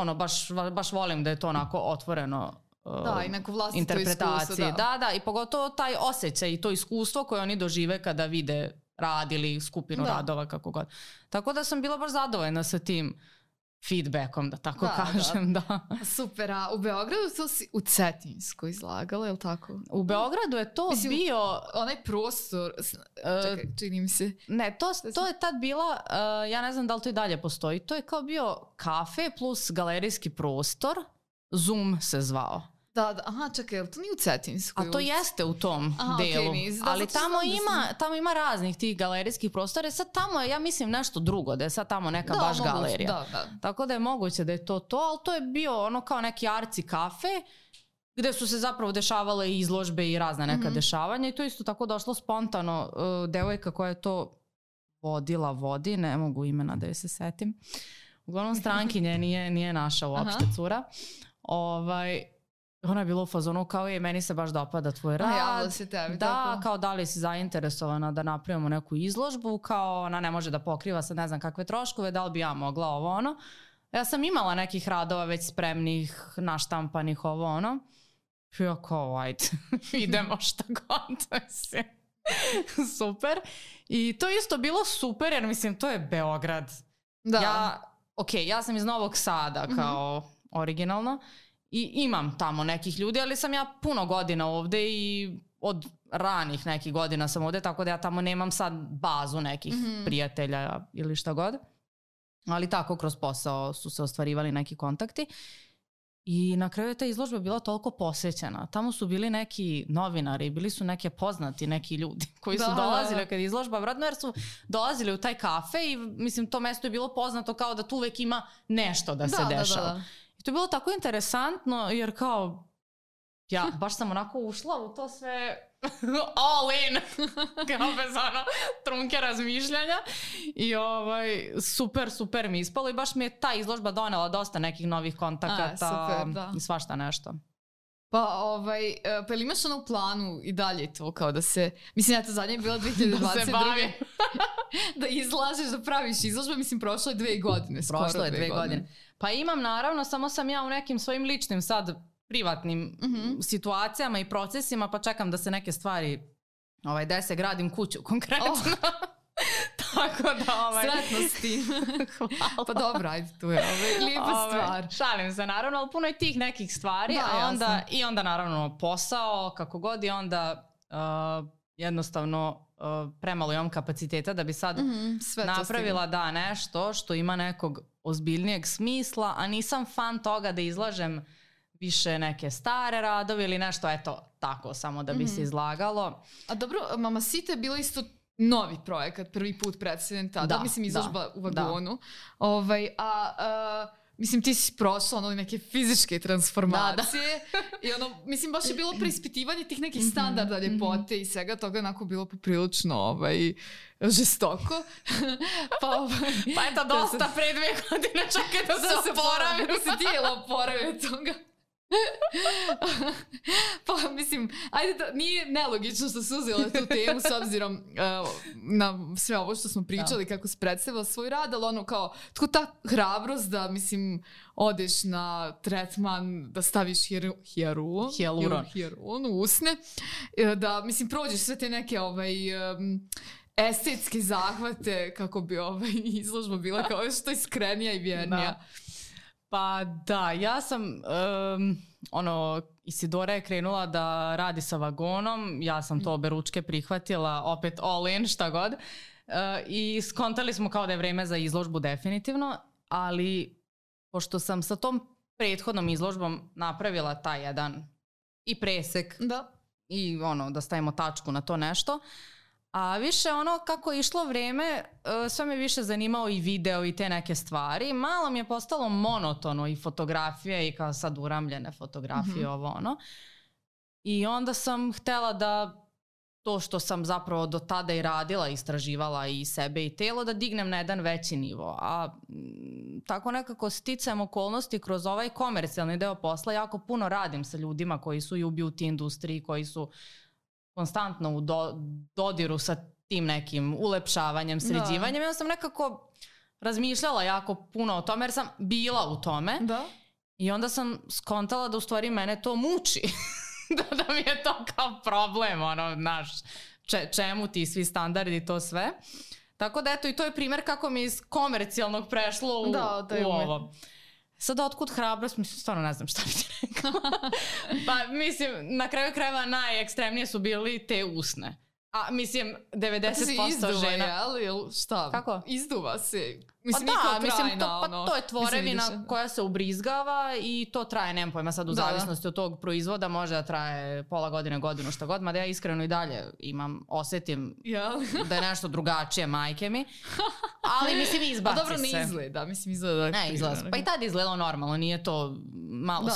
baš volim da je to onako otvoreno i neko vlastito interpretaciji. Iskustvo. Da, i pogotovo taj osjećaj i to iskustvo koje oni dožive kada vide rad ili skupinu radova, kako god. Tako da sam bila baš zadovoljna sa tim feedbackom, da tako kažem. Da. Super, a u Beogradu to si u Cetinjskoj izlagala, je li tako? U Beogradu je to bio... Onaj prostor, čekaj, čini mi se. Ne, to je tad bila, ja ne znam da li to i dalje postoji, to je kao bio kafe plus galerijski prostor, Zoom se zvao. Da, aha, čekaj, to nije u Cetinjskoj? A to jeste u tom delu, ali tamo ima raznih tih galerijskih prostora, sad tamo je, ja mislim, nešto drugo, da je sad tamo neka baš galerija. Da. Tako da je moguće da je to, ali to je bio kao neki arci kafe gde su se zapravo dešavale i izložbe i razne neka dešavanja i to isto tako došlo spontano. Devojka koja je to vodi, ne mogu imena da joj se setim. Uglavnom strankinje nije naša uopšte cura. Ona je bila u fazonu kao meni se baš dopada tvoj rad. Javila se tebi. Da, kao da li si zainteresovana da napravimo neku izložbu, kao ona ne može da pokriva sad ne znam kakve troškove, da li bi ja mogla ovo ono. Ja sam imala nekih radova već spremnih, naštampanih ovo ono. Ja kao ajde, idemo šta god. Super. I to isto bilo super jer mislim to je Beograd. Da. Ja sam iz Novog Sada kao originalno. I imam tamo nekih ljudi, ali sam ja puno godina ovde i od ranih nekih godina sam ovde, tako da ja tamo nemam sad bazu nekih prijatelja ili šta god. Ali tako kroz posao su se ostvarivali neki kontakti. I na kraju je ta izložba bila toliko posećena. Tamo su bili neki novinari, bili su neke poznati neki ljudi koji su dolazili kad je izložba vratno, jer su dolazili u taj kafe i mislim to mesto je bilo poznato kao da tu uvek ima nešto da se dešava. I to je bilo tako interesantno jer kao ja baš sam onako ušla u to sve all in kao bez ono trunke razmišljanja i super mi ispalo i baš mi je ta izložba donela dosta nekih novih kontakata i svašta nešto. Pa ili imaš ono u planu i dalje to kao da se, mislim ja to zadnje je bila 2022. Da se bavim. Da izlažeš, da praviš izložbe, mislim prošlo je 2 godine. Prošlo je 2 godine. Pa imam naravno, samo sam ja u nekim svojim ličnim sad privatnim situacijama i procesima, pa čekam da se neke stvari dese, gradim kuću konkretno. Tako da sretno s tim. Pa dobro, ajde, tu je lijepa stvar. Šalim se naravno, ali puno je tih nekih stvari, i onda naravno posao, kako god i onda jednostavno premalo imam kapaciteta da bi sad napravila nešto što ima nekog ozbiljnijeg smisla, a nisam fan toga da izlažem više neke stare radove ili nešto, eto, tako, samo da bi se izlagalo. A dobro, Mamacita je bila isto novi projekat, prvi put predstavljen tada, mislim izložba u vagonu. Mislim, ti si prošla neke fizičke transformacije i mislim, baš je bilo preispitivanje tih nekih standarda ljepote i svega toga onako bilo poprilično žestoko. Pa eto, dosta pre 2 godine čekaj da se oporavim. Da se tijelo oporavi od toga. Pa mislim, ajde, nije nelogično što su uzeli tu temu s obzirom na sve ovo što smo pričali, kako se predstavila svoj rad, ali ono kao tko ta hrabrost da mislim odeš na tretman, da staviš hijaluron u usne, da mislim prođeš sve te neke estetske zahvate kako bi izložba bila kao što iskrenija i vjernija. Pa da, ja sam, Isidora je krenula da radi sa vagonom, ja sam to oberučke prihvatila, opet all in, šta god, i skontali smo kao da je vreme za izložbu definitivno, ali pošto sam sa tom prethodnom izložbom napravila taj jedan i presek i da stavimo tačku na to nešto, a više kako je išlo vreme, sve me više zanimao i video i te neke stvari. Malo mi je postalo monotono i fotografije i kao sad uramljene fotografije, I onda sam htjela da to što sam zapravo do tada i radila, istraživala i sebe i telo, da dignem na jedan veći nivo. A tako nekako sticajem okolnosti kroz ovaj komercijalni deo posla, jako puno radim sa ljudima koji su i u beauty industriji, koji su konstantno u dodiru sa tim nekim ulepšavanjem, sređivanjem. Ja sam nekako razmišljala jako puno o tome jer sam bila u tome. I onda sam skontala da u stvari mene to muči. da mi je to kao problem, čemu ti svi standardi i to sve. Tako da eto, i to je primjer kako mi iz komercijalnog prešlo u ovo. Sada otkud hrabrost, mislim, stvarno ne znam šta bi ti rekao. Pa mislim, na kraju krajeva najekstremnije su bili te usne. A mislim, 90% žena... Izduva, jel? Šta? Kako? Izduva se. Mislim, to je tvorevina koja se ubrizgava i to traje, nemam pojma sad u zavisnosti od tog proizvoda, može da traje pola godine, godinu, šta god, mada ja iskreno i dalje osetim da je nešto drugačije, majke mi, ali mislim izbaci se. A dobro, ne izgleda, mislim izgleda. Ne, izgleda. Pa i tad je izgledalo normalno, nije to malo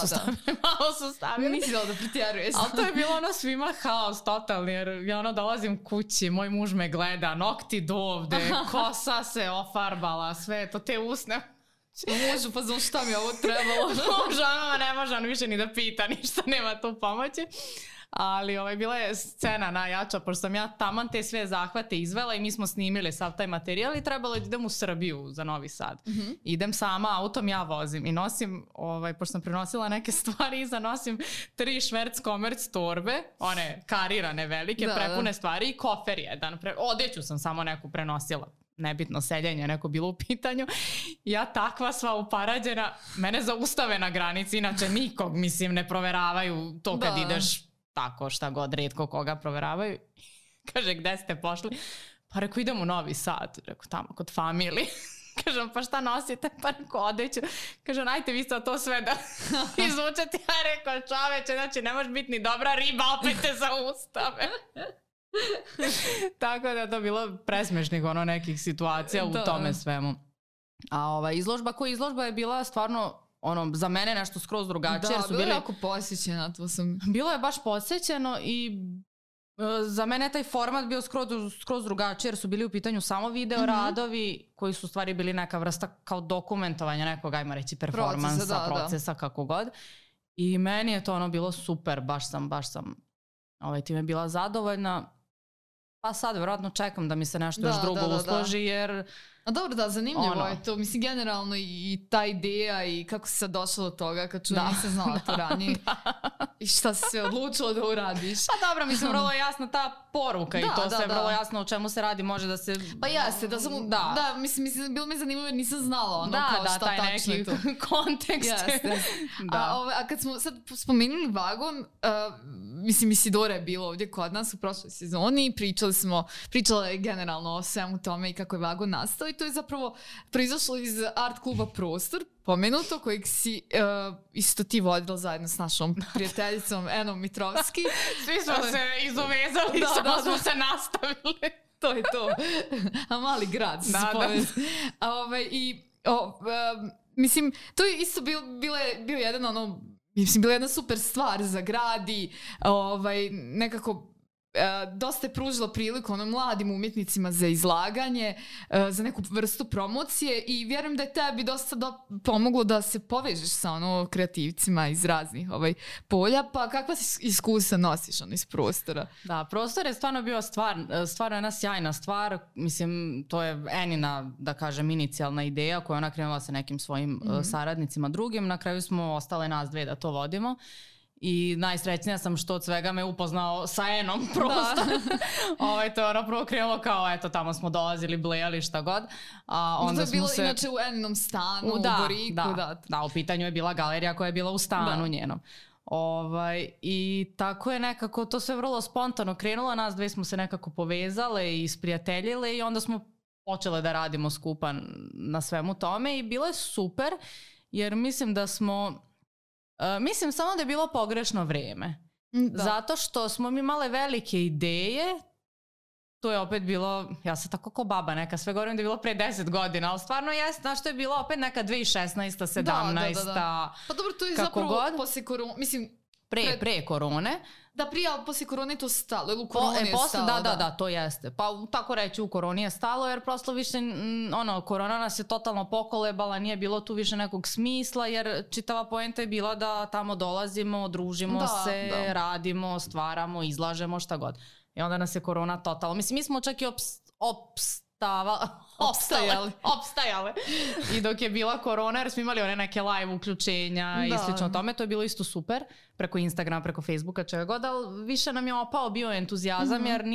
su stavili. Nisi da pretjeruješ. Ali to je bilo svima haos totalni, jer ja dolazim kući, moj muž me gleda, nokti do ovde, kosa se ofarbala, sve to, te usne. Mužu, pa znam šta mi ovo trebalo. Mužu, ne može on više ni da pita, ništa nema tu pomoći. Ali bila je scena najjača, pošto sam ja taman te sve zahvate izvela i mi smo snimili sav taj materijal i trebalo je da idem u Srbiju za Novi Sad. Idem sama autom, ja vozim i nosim, pošto sam prenosila neke stvari iza, nosim 3 šverc komerc torbe, one karirane velike, prepune stvari i kofer jedan. Odeću sam samo neku prenosila. Nebitno, seljenje neko bilo u pitanju. Ja takva sva uparađena, mene zaustave na granici, inače nikog, mislim, ne proveravaju to kad ideš tako, šta god, retko koga proveravaju. Kaže, gde ste pošli? Pa rekao, idem u Novi Sad. Rekao, tamo kod familije. Kažem, pa šta nosite? Pa rekao, odeću. Kažem, ajte vi sad to sve da izvučete. Ja rekao, čoveče, znači ne može biti ni dobra riba, opet te zaustave. Tako da je to bilo presmešnih nekih situacija u tome svemu. A izložba koja izložba je bila stvarno za mene nešto skroz drugačije. Da, bilo je jako posjećeno. Bilo je baš posjećeno i za mene taj format bio skroz drugačiji jer su bili u pitanju samo video radovi koji su stvari bili neka vrsta kao dokumentovanja nekog, ajmo reći, performansa, procesa, kako god. I meni je to bilo super, baš sam time bila zadovoljna. Pa sad vjerojatno čekam da mi se nešto još drugo usloži jer... A dobro, da, zanimljivo je to. Mislim, generalno i ta ideja i kako si sad došla do toga kad nisam znala to ranije. I šta si se odlučila da uradiš. Pa dobro, mislim, vrlo je jasna ta poruka i to sve vrlo jasno o čemu se radi, može da se... Pa jeste, da, mislim, bilo mi zanimljivo jer nisam znala kao šta tačno je to. Da, taj neki kontekst. A kad smo sad spomenuli vagon, mislim, Isidora je bila ovdje kod nas u prošloj sezoni i pričala je generalno o svemu tome i kako je vagon nastao i to je zapravo proizašlo iz art kluba Prostor, pomenuto, kojeg si isto ti vodila zajedno s našom prijateljicom Enom Mitrovski. Svi smo se izovezali, samo smo se nastavili. To je to. A mali grad su mislim, to je isto bio jedan bila jedna super stvar za grad i nekako dosta je pružila priliku mladim umjetnicima za izlaganje, za neku vrstu promocije i vjerujem da je tebi dosta pomoglo da se povežeš sa kreativcima iz raznih polja, pa kakva iskustva nosiš iz prostora? Da, prostor je stvarno bio stvarno jedna sjajna stvar, mislim, to je Enina, da kažem, inicijalna ideja koja ona krenula sa nekim svojim saradnicima drugim, na kraju smo ostale nas dve da to vodimo. I najsrećnija sam što od svega me upoznao sa Enom prosto. To je prvo krenulo kao, eto, tamo smo dolazili, blejali, šta god. Onda to je bilo inače u Eninom stanu, u Boriku. Da, u pitanju je bila galerija koja je bila u stanu njenom. I tako je nekako to sve vrlo spontano krenulo, nas dve smo se nekako povezale i isprijateljile i onda smo počele da radimo skupa na svemu tome i bilo je super jer mislim da smo... Mislim samo da je bilo pogrešno vrijeme. Zato što smo mi imale velike ideje. To je opet bilo, ja sam tako ko baba neka, sve govorim da je bilo pre 10 godina, ali stvarno jest, znaš, to je bilo opet neka 2016, 17, Pa dobro, to je zapravo poslije korone, mislim... Pre korone. Da, prije, ali poslije korone je to stalo, ili u koroni je stalo. Da, to jeste. Pa tako reći u koroni je stalo, jer prosto više, korona nas je totalno pokolebala, nije bilo tu više nekog smisla, jer čitava poenta je bila da tamo dolazimo, družimo se, radimo, stvaramo, izlažemo, šta god. I onda nas je korona totalno. Mislim, mi smo čak i opstajale. I dok je bila korona, jer smo imali one neke live uključenja i slično tome, to je bilo isto super, preko Instagrama, preko Facebooka, čega god, ali više nam je opao bio entuzijazam, jer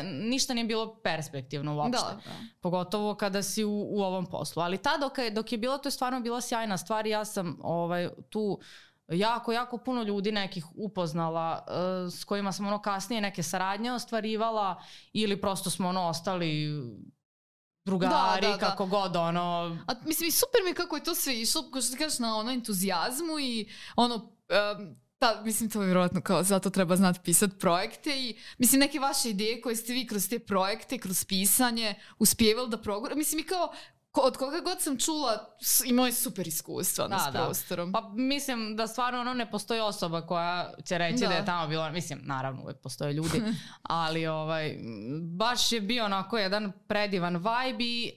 ništa nije bilo perspektivno uopšte. Pogotovo kada si u ovom poslu. Ali dok je bilo, to je stvarno bila sjajna stvar i ja sam tu jako puno ljudi nekih upoznala s kojima sam kasnije neke saradnje ostvarivala ili prosto smo ostali drugari, kako god, ono... A mislim, i super mi kako je to sve išlo, kao što ti kažeš, na ono entuzijazmu i ono... mislim, to je vjerojatno kao zato treba znati pisati projekte i mislim neke vaše ideje koje ste vi kroz te projekte, kroz pisanje uspjevali da progurate. Mislim i kao od koga god sam čula imao je super iskustva s prostorom. Pa mislim da stvarno ono ne postoji osoba koja će reći da je tamo bilo, mislim naravno uvijek postoje ljudi, ali baš je bio onako jedan predivan vibe i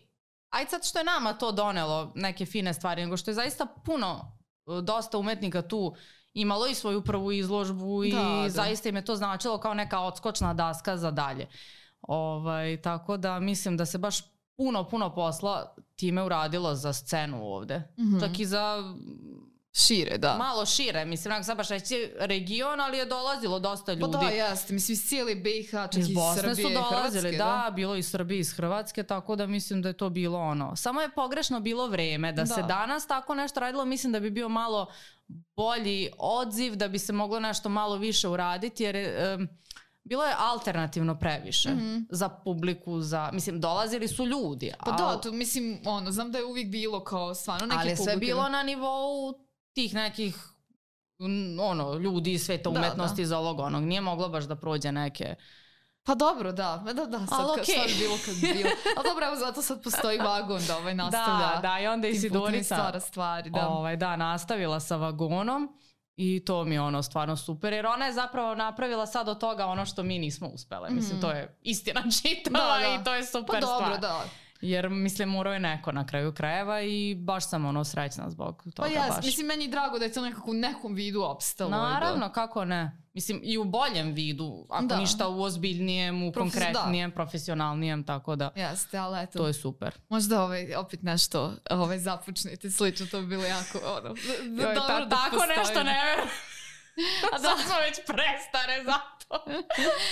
ajde sad što je nama to donelo neke fine stvari, nego što je zaista dosta umetnika tu imalo i svoju prvu izložbu i zaista im je to značilo kao neka odskočna daska za dalje. Tako da mislim da se baš puno posla time uradilo za scenu ovde. Čak i za... Šire, da. Malo šire, mislim, sad baš reći region, ali je dolazilo dosta ljudi. Pa da, jeste, mislim, iz cijeli BiH, čak iz Bosne Srbije su dolazili, da, bilo iz Srbije, iz Hrvatske, tako da mislim da je to bilo ono. Samo je pogrešno bilo vreme, da se danas tako nešto radilo, mislim da bi bio malo bolji odziv, da bi se moglo nešto malo više uraditi, jer bilo je alternativno previše za publiku, mislim, dolazili su ljudi. Pa da, to mislim, znam da je uvijek bilo kao stvarno neke publike. Ali sve bilo na nivou tih nekih ljudi iz sveta umetnosti iz ovog onog. Nije moglo baš da prođe neke... Pa dobro, da, sad bi bilo kad bi bilo. Ali dobro, evo zato sad postoji vagon da nastavlja. Da, i onda i Sidorica stvari, nastavila sa vagonom. I to mi je stvarno super, jer ona je zapravo napravila sad od toga ono što mi nismo uspele. Mislim, to je istina čitava i to je super stvar. Pa dobro, da. Jer, mislim, morao je neko na kraju krajeva i baš sam srećna zbog toga. Pa mislim, meni je drago da je to nekako u nekom vidu opstalo. Naravno, kako ne. Mislim, i u boljem vidu, ako ništa u ozbiljnijem, u konkretnijem, profesionalnijem, tako da jeste, ali eto, to je super. Možda opet nešto započnete slično, to bi bilo jako dobro da tako postoji. Nešto ne verujem. A sad smo već prestare zato.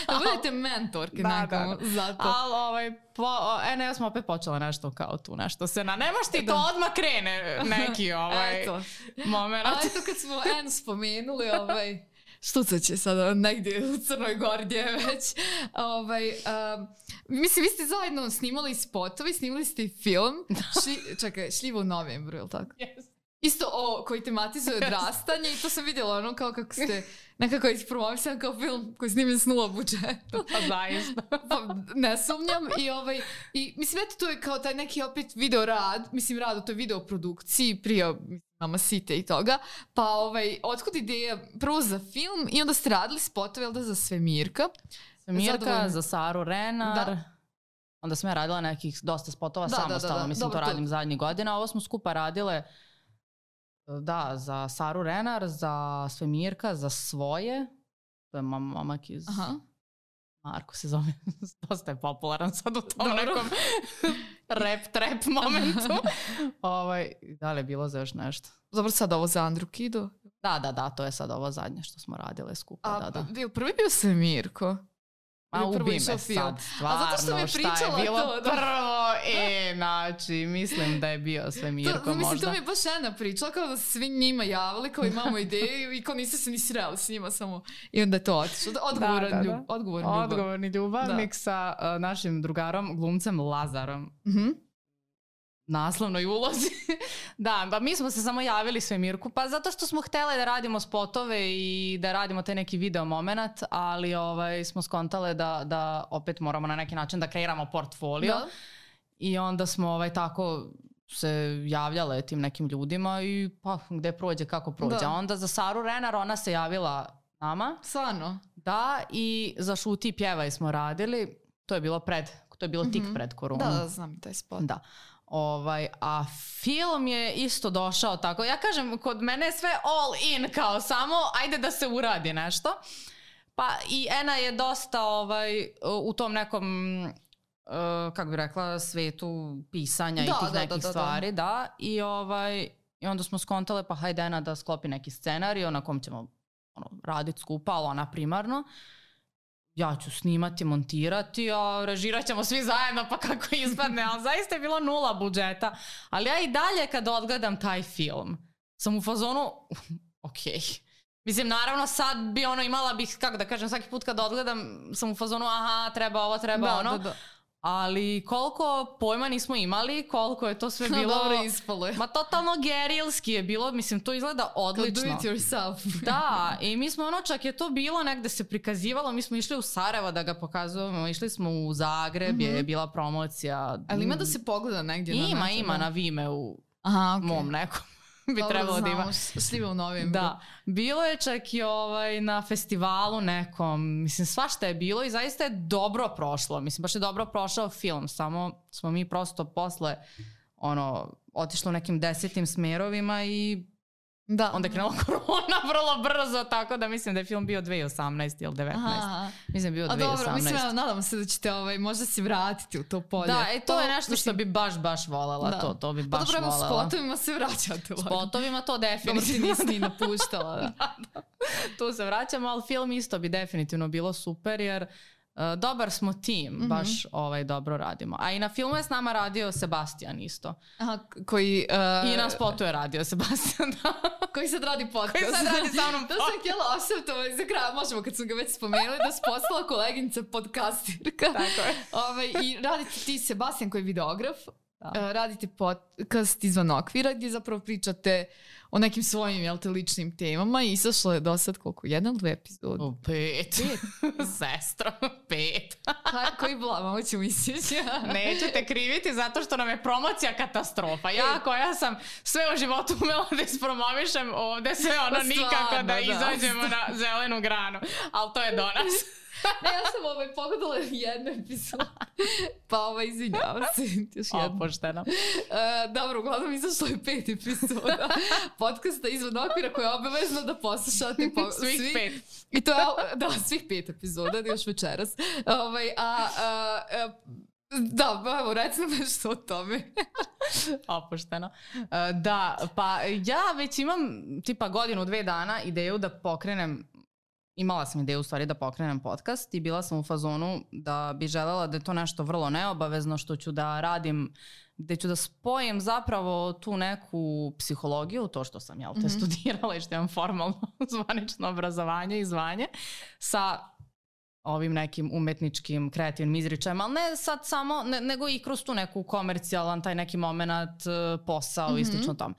Da budete mentorke nekom zato. Ali ja sam opet počela nešto kao tu, nešto se nemaš ti to odmah krene neki moment. A eto kad smo spomenuli štucat će sada negdje u Crnoj Gori gdje već. Mislim, vi ste zajedno snimali spotovi, snimali ste i film. Šljivo u novembru, je li tako? Yes. Isto koji tematizuje odrastanje i to sam vidjela kao kako ste nekako ispromovisali kao film koji snimljen s 0 budžeta. Pa zaista. Ne sumnjam. I mislim, eto, to je kao taj neki opet video rad, mislim rad u toj video produkciji prije Mama Site i toga. Pa otkud ideja prvo za film i onda ste radili spotove, jel da, za Svemirka? Svemirka, za Saru Renar. Onda sam ja radila nekih dosta spotova samostalno, mislim, to radim zadnjih godina. Ovo smo skupa radile za Saru Renar, za Svemirka, za Svoje. To je momak iz... Marko se zove. Dosta je popularan sad u tom nekom rap momentu. Da li je bilo za još nešto? Dobro, sad ovo za Andru Kido? Da, to je sad ovo zadnje što smo radile skupa. Prvi bio Svemirko? Ma ubi me sad, stvarno, šta je bilo prvo, znači, mislim da je bio Svemirko možda. Mislim, to mi je baš Ena pričala, kao da se svi njima javili, kao imamo ideju i kao niste se ni sreli s njima samo, i onda je to otišlo. Odgovorni ljubavnik sa našim drugarom, glumcem Lazarom. Naslovnoj ulozi. Da, pa mi smo se samo javili Svemirku, pa zato što smo htjeli da radimo spotove i da radimo taj neki video moment, ali smo skontale da opet moramo na neki način da kreiramo portfolio. I onda smo tako se javljale tim nekim ljudima i pa gde prođe, kako prođe. Onda za Saru Renar ona se javila nama. Stvarno? Da, i za Šuti i pjevaj smo radili. To je bilo tik pred koronu. Da, znam taj spot. Da. A film je isto došao tako. Ja kažem, kod mene je sve all in, kao samo ajde da se uradi nešto. Pa i Ena je dosta u tom nekom kako bi rekla, svetu pisanja i tih nekih stvari. Da. I onda smo skontale, pa hajde Ena da sklopi neki scenarij na kom ćemo raditi skupa, ali ona primarno. Ja ću snimati, montirati, a režirat ćemo svi zajedno pa kako ispadne, ali zaista je bilo 0 budžeta. Ali ja i dalje kad odgledam taj film sam u fazonu, okej. Mislim, naravno sad bi imala bih, kako da kažem, svaki put kad odgledam sam u fazonu, aha, treba ovo, treba ono. Ali koliko pojma nismo imali, koliko je to sve bilo... Dobro ispalo je. Ma totalno gerilski je bilo, mislim, to izgleda odlično. Do it yourself. Da, i mi smo čak je to bilo negde se prikazivalo, mi smo išli u Sarajevo da ga pokazujemo, išli smo u Zagreb, je bila promocija. Ali ima da se pogleda negdje? Ima na Vimeu, mom nekom. Bi trebalo da ima. Sliva u novembru. Da, bilo je čak i na festivalu nekom, mislim svašta je bilo i zaista je dobro prošlo, mislim baš je dobro prošao film, samo smo mi prosto posle otišli u nekim 10. smerovima i onda je krenula korona vrlo brzo, tako da mislim da je film bio 2018 ili 2019. Mislim je bio 2018. Dobro, mislim, nadam se da ćete možda se vratiti u to polje. Da, to je nešto što bi baš voljela, to bi baš voljela. S spotovima se vraćate. Spotovima to definitivno. Dobro, ti nisi ni napuštala. Da. Tu se vraćamo, ali film isto bi definitivno bilo super, jer dobar smo tim, baš dobro radimo. A i na filmu je s nama radio Sebastian isto. Aha, koji... I na spotu je radio Sebastian, da. Koji sad radi podcast. Koji sad radi sa mnom podcast. To sam htjela osvrtovati za kraj, možemo kad sam ga već spomenuli, da se postala koleginica podcastirka. Tako je. I radite ti Sebastian koji je videograf. Radite podcast Izvan okvira gdje zapravo pričate o nekim svojim ličnim temama i izašlo je do sad koliko? 1 ili 2 epizode? 5. Sestra, 5. Koji blama, hoću mislići. Neću te kriviti zato što nam je promocija katastrofa. Ja koja sam sve u životu umela da ispromovišem ovde, sve nikako da izađemo na zelenu granu. Ali to je do nas. Ne, ja sam pogledala jednu epizodu, pa izvinjavam se. Opušteno. Dobro, uglavnom izašlo je 5 epizoda podcasta Izvan okvira koje je obavezno da poslušate. Svih 5. I to je, da, svih 5 epizoda, još večeras. Da, evo, reci nam nešto o tome. Opušteno. Da, pa ja već imam tipa 1-2 dana ideju da pokrenem. Imala sam ideju u stvari da pokrenem podcast i bila sam u fazonu da bi želela da je to nešto vrlo neobavezno što ću da radim, gde ću da spojim zapravo tu neku psihologiju, to što sam te studirala i što imam formalno zvanično obrazovanje i zvanje, sa ovim nekim umetničkim, kreativnim izričajem, ali ne sad samo, nego i kroz tu neku komercijalan, taj neki moment, posao i slično tom.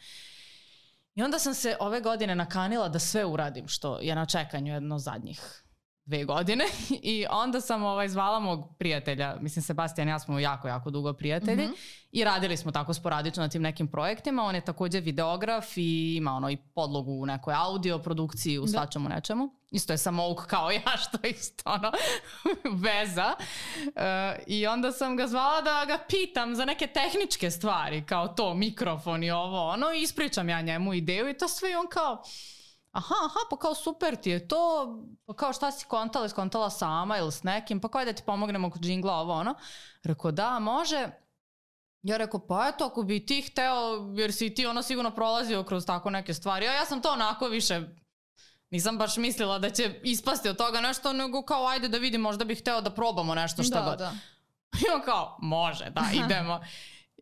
I onda sam se ove godine nakanila da sve uradim što je na čekanju jedno zadnjih 2 godine i onda sam zvala mog prijatelja, mislim Sebastian i ja smo jako dugo prijatelji i radili smo tako sporadično na tim nekim projektima. On je također videograf i ima i podlogu u nekoj audio produkciji, u svačemu nečemu. Isto je samouk kao ja, što je isto veza. I onda sam ga zvala da ga pitam za neke tehničke stvari, kao to, mikrofon i i ispričam ja njemu ideju i to sve i on kao... Aha, pa kao super ti je to, pa kao šta si skontala sama ili s nekim, pa kao da ti pomognemo kod džingla, Rekao da, može. Ja rekao, pa eto, ako bi ti hteo, jer si ti sigurno prolazio kroz tako neke stvari. Ja sam to onako više, nisam baš mislila da će ispasti od toga nešto, nego kao ajde da vidim, možda bih hteo da probamo nešto šta god. I on kao, može, da, idemo.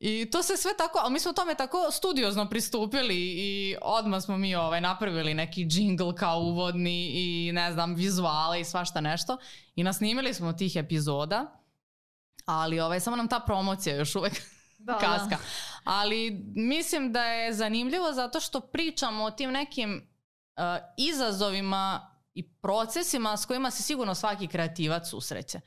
I to se sve tako, ali mi smo tome tako studiozno pristupili i odmah smo mi napravili neki džingl kao uvodni i ne znam, vizuale i svašta nešto i nasnimili smo tih epizoda, ali samo nam ta promocija još uvek kaska. Ali mislim da je zanimljivo zato što pričamo o tim nekim izazovima i procesima s kojima se sigurno svaki kreativac susreće.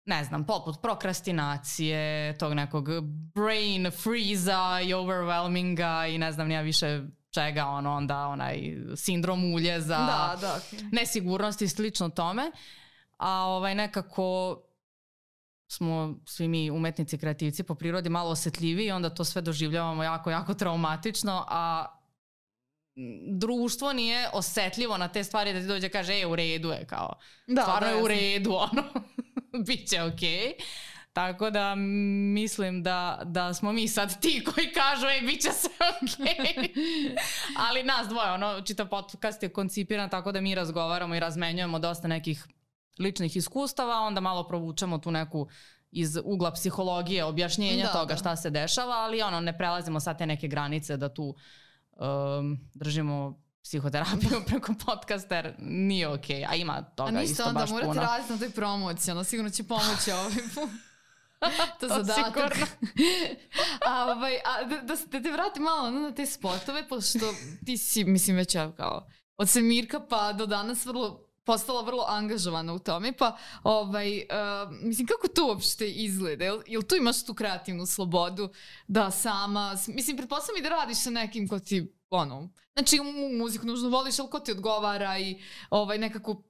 Ne znam, poput prokrastinacije, tog nekog brain freeza i overwhelminga i ne znam nija više čega, onda onaj sindrom uljeza, nesigurnosti i slično tome. A nekako smo svi mi umetnici, kreativci po prirodi malo osjetljiviji i onda to sve doživljavamo jako traumatično, a društvo nije osjetljivo na te stvari da ti dođe kaže, u redu je, kao, stvarno je u redu, Biće okej. Tako da mislim da smo mi sad ti koji kažu bit će sve okej. Ali nas dvoje, čitav podcast je koncipiran tako da mi razgovaramo i razmenjujemo dosta nekih ličnih iskustava, onda malo provučemo tu neku iz ugla psihologije objašnjenja toga šta se dešava, ali ne prelazimo sad te neke granice da tu držimo psihoterapiju preko podcasta, jer nije okej, a ima toga isto baš puno. A niste onda morate raditi na toj promociji, sigurno će pomoći ovaj put. To zadatak. Da te vratim malo na te spotove, pošto ti si, mislim, već kao od Semirka pa do danas postala vrlo angažovana u tome, pa mislim, kako to uopšte izgleda? Jel tu imaš tu kreativnu slobodu da sama, mislim, pretpostavljam i da radiš sa nekim ko ti, znači muziku nužno voliš, ali ko ti odgovara i nekako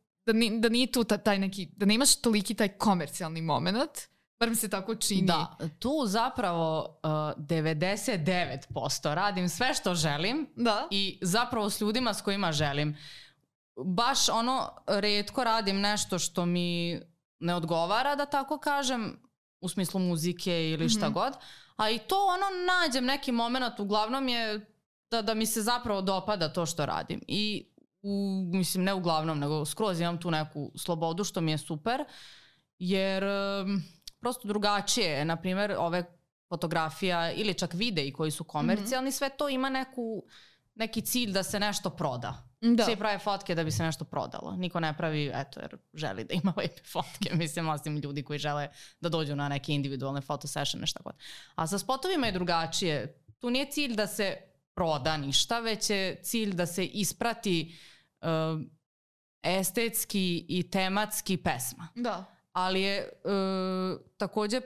da nije tu taj neki, da ne imaš toliki taj komercijalni moment, bar mi se tako čini. Da, tu zapravo 99% radim sve što želim i zapravo s ljudima s kojima želim. Baš retko radim nešto što mi ne odgovara, da tako kažem, u smislu muzike ili šta god, a i to nađem neki moment, uglavnom je da mi se zapravo dopada to što radim i mislim ne uglavnom, nego skroz imam tu neku slobodu što mi je super, jer prosto drugačije je, na primjer ove fotografija ili čak videi koji su komercijalni, sve to ima neki cilj da se nešto proda. Svi prave fotke da bi se nešto prodalo. Niko ne pravi, jer želi da ima lepe fotke. Mislim, osim ljudi koji žele da dođu na neke individualne fotosessione, šta god. A sa spotovima je drugačije. Tu nije cilj da se proda ništa, već je cilj da se isprati estetski i tematski pesma. Da. Ali je također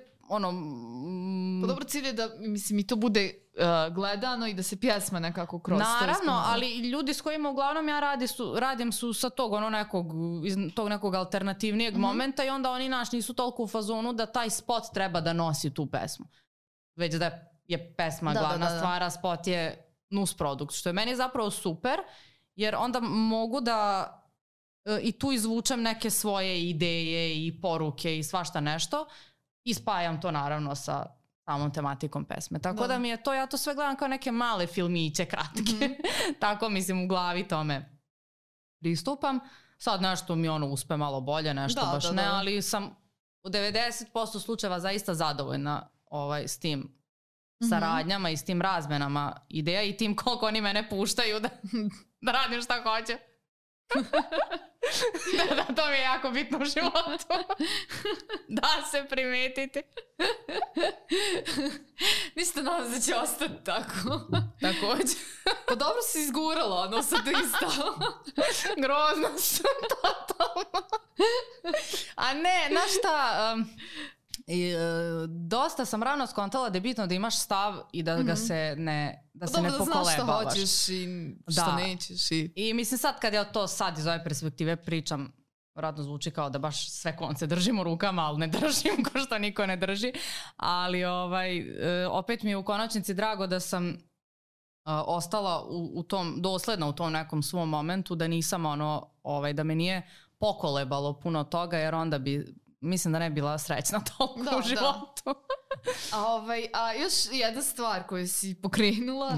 Pa dobro, cilj je da, mislim, i to bude gledano i da se pjesma nekako kroz to naravno, ispomenuje. ali ljudi s kojima uglavnom ja radim su sa tog nekog alternativnijeg momenta i onda oni nisu toliko u fazonu da taj spot treba da nosi tu pesmu. Već da je pesma glavna stvar, a spot je nus produkt, što je meni zapravo super, jer onda mogu da i tu izvučem neke svoje ideje i poruke i svašta nešto i spajam to naravno sa samom tematikom pesme. Tako da mi je to, ja to sve gledam kao neke male filmiće kratke. Tako mislim u glavi tome pristupam. Sad nešto mi uspe malo bolje, nešto baš ne, ali sam u 90% slučajeva zaista zadovoljna s tim saradnjama i s tim razmenama ideja i tim koliko oni mene puštaju da radim šta hoće. Da, to mi je jako bitno u životu. Da se primetiti. Ništa nadam da će ostati tako. Također. Pa dobro si izgurala, sad isto. Grozno sam totalno. A ne, znaš šta, dosta sam rano skontala da je bitno da imaš stav i da ga se ne pokolebavaš. Da znaš šta hoćeš i šta nećeš. I mislim sad kad ja to sad iz ove perspektive pričam, vjerojatno zvuči kao da baš sve konce držim u rukama, ali ne držim ko što niko ne drži. Ali opet mi je u konačnici drago da sam ostala dosledna u tom nekom svom momentu, da nisam da me nije pokolebalo puno toga, jer onda bi mislim da ne bila srećna toliko u životu. A još jedna stvar koju si pokrenula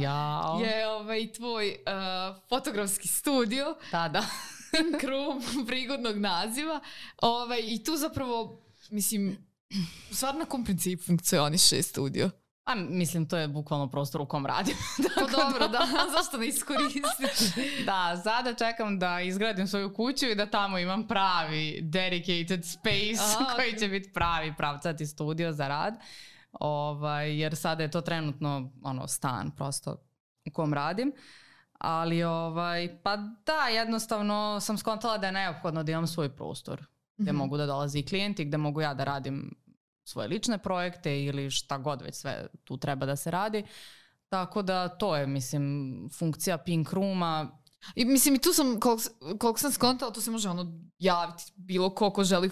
je tvoj fotografski studio. Da. Pink Room, prigodnog naziva. I tu zapravo, mislim, stvar na kom principu funkcioniše studio? A mislim, to je bukvalno prostor u kom radim. Pa dobro, zašto ne iskoristiti? Da, sada čekam da izgradim svoju kuću i da tamo imam pravi dedicated space koji će biti pravi pravcati studio za rad. Jer sada je to trenutno stan prosto u kom radim. Ali pa da, jednostavno sam skontala da je neophodno da imam svoj prostor gdje mogu da dolazi klijenti, gdje mogu ja da radim svoje lične projekte ili šta god već sve tu treba da se radi. Tako da to je, mislim, funkcija Pink Rooma. I mislim, i tu sam, koliko sam skontala, tu se može javiti bilo ko želi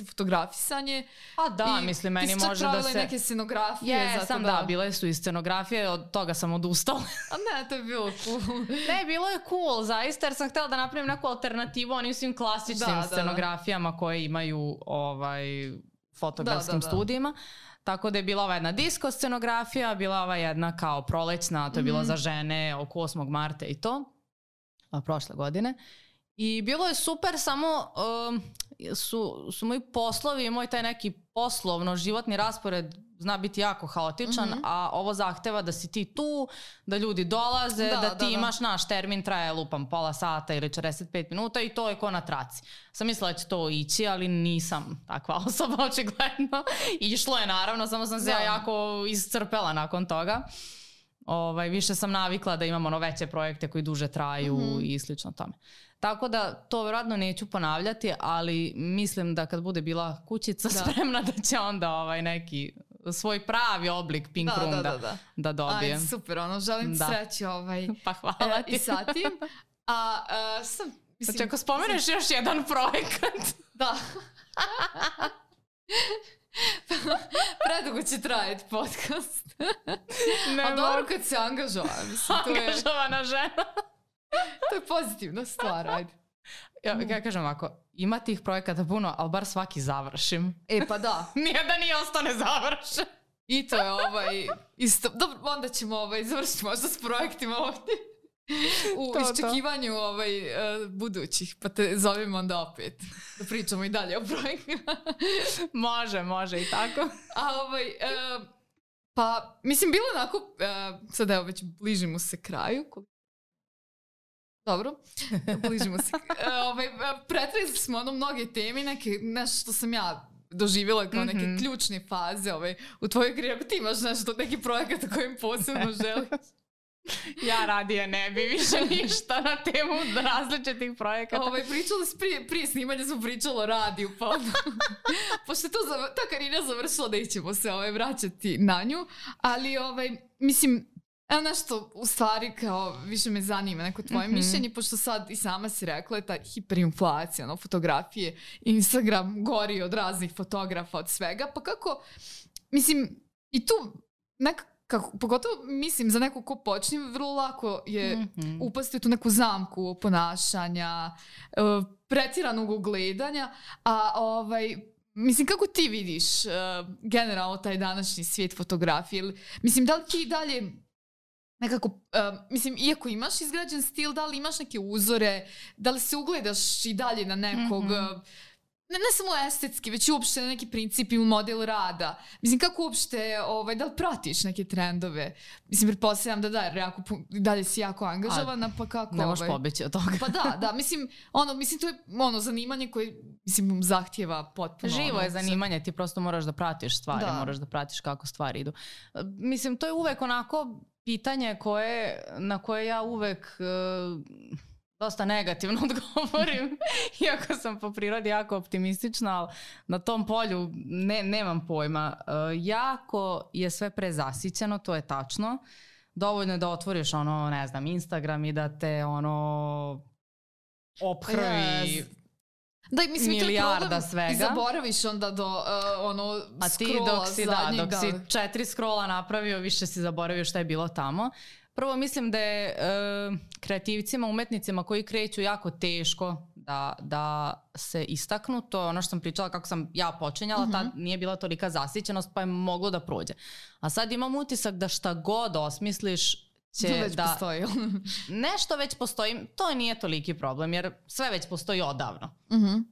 fotografisanje. A da, mislim, meni može da se... Ti si čak pravila neke scenografije. Bile su i scenografije, od toga sam odustala. A ne, to je bilo cool. Ne, bilo je cool, zaista, jer sam htjela da napravim neku alternativu onim svim klasičnim scenografijama koje imaju fotografskim studijima. Tako da je bila ova jedna disco scenografija, bila ova jedna kao prolećna, to je bilo za žene oko 8. marta i to, prošle godine. I bilo je super, samo su moji poslovi i moj taj neki poslovno životni raspored zna biti jako haotičan, a ovo zahteva da si ti tu, da ljudi dolaze, da ti imaš naš termin, traje lupam pola sata ili 45 minuta i to je ko na traci. Sam mislila da će to ići, ali nisam takva osoba očigledno. Išlo je naravno, samo sam se ja jako iscrpela nakon toga. Više sam navikla da imam veće projekte koji duže traju i slično tome. Tako da to vjerojatno neću ponavljati, ali mislim da kad bude bila kućica spremna da će onda neki svoj pravi oblik Pink Room da dobijem. Aj, super, želim sreći pa hvala ti. I sa tim. Znači ako spomeneš još jedan projekat. Da. Predugo će trajati podcast. A dobro kad se angažovam. Angažovana žena. To je pozitivna stvar, ajde. Ja kažem ovako, ima tih projekata puno, ali bar svaki završim. Pa da. Nijedan i ostane završen. I to je isto. Dobro, onda ćemo završiti možda s projektima ovdje. U iščekivanju budućih, pa te zovem onda opet da pričamo i dalje o projektima. Može i tako. Pa, mislim, bilo onako, sad evo već bližimo se kraju. Dobro, bližimo se. Pretresli smo mnoge teme, nešto što sam ja doživjela kao neke ključne faze u tvojoj karijeri. Ako ti imaš neki projekat o kojem posebno želiš? Ja radije ne bi više ništa na temu različitih projekata. Prije snimanja smo pričali o radiju, pa pošto je ta karijera završila, da ćemo se vraćati na nju, ali mislim, evo nešto u stvari kao više me zanima neko tvoje mišljenje, pošto sad i sama si rekla je ta hiperinflacija, fotografije, Instagram gori od raznih fotografa, od svega, pa kako, mislim, i tu pogotovo mislim za neko ko počne, vrlo lako je upasti u tu neku zamku ponašanja, pretjeranog gledanja, a mislim, kako ti vidiš generalno taj današnji svijet fotografije? Mislim, da li ti dalje nekako, mislim, iako imaš izgrađen stil, da li imaš neke uzore, da li se ugledaš i dalje na nekog, ne samo estetski, već uopšte na neki princip i model rada. Mislim, kako uopšte, da li pratiš neke trendove? Mislim, pretpostavljam da dalje si jako angažovana, pa kako? Ne možeš pobeći od toga. Pa da, mislim, to je zanimanje koje, mislim, zahtjeva potpuno. Živo je zanimanje, ti prosto moraš da pratiš stvari, moraš da pratiš kako stvari idu. Mislim, to je uvek onako pitanje na koje ja uvek dosta negativno odgovorim, iako sam po prirodi jako optimistična, ali na tom polju nemam pojma. Jako je sve prezasićeno, to je tačno. Dovoljno je da otvoriš ne znam, Instagram i da te ophrvi milijarda svega. I zaboraviš onda do scrolla zadnjeg. Dok si 4 scrolla napravio, više si zaboravio šta je bilo tamo. Prvo mislim da je kreativcima, umetnicima koji kreću jako teško da se istaknu. To je ono što sam pričala kako sam ja počinjala, tad nije bila tolika zasićenost pa je moglo da prođe. A sad imam utisak da šta god osmisliš će već postoji. Nešto već postoji, to nije toliki problem jer sve već postoji odavno.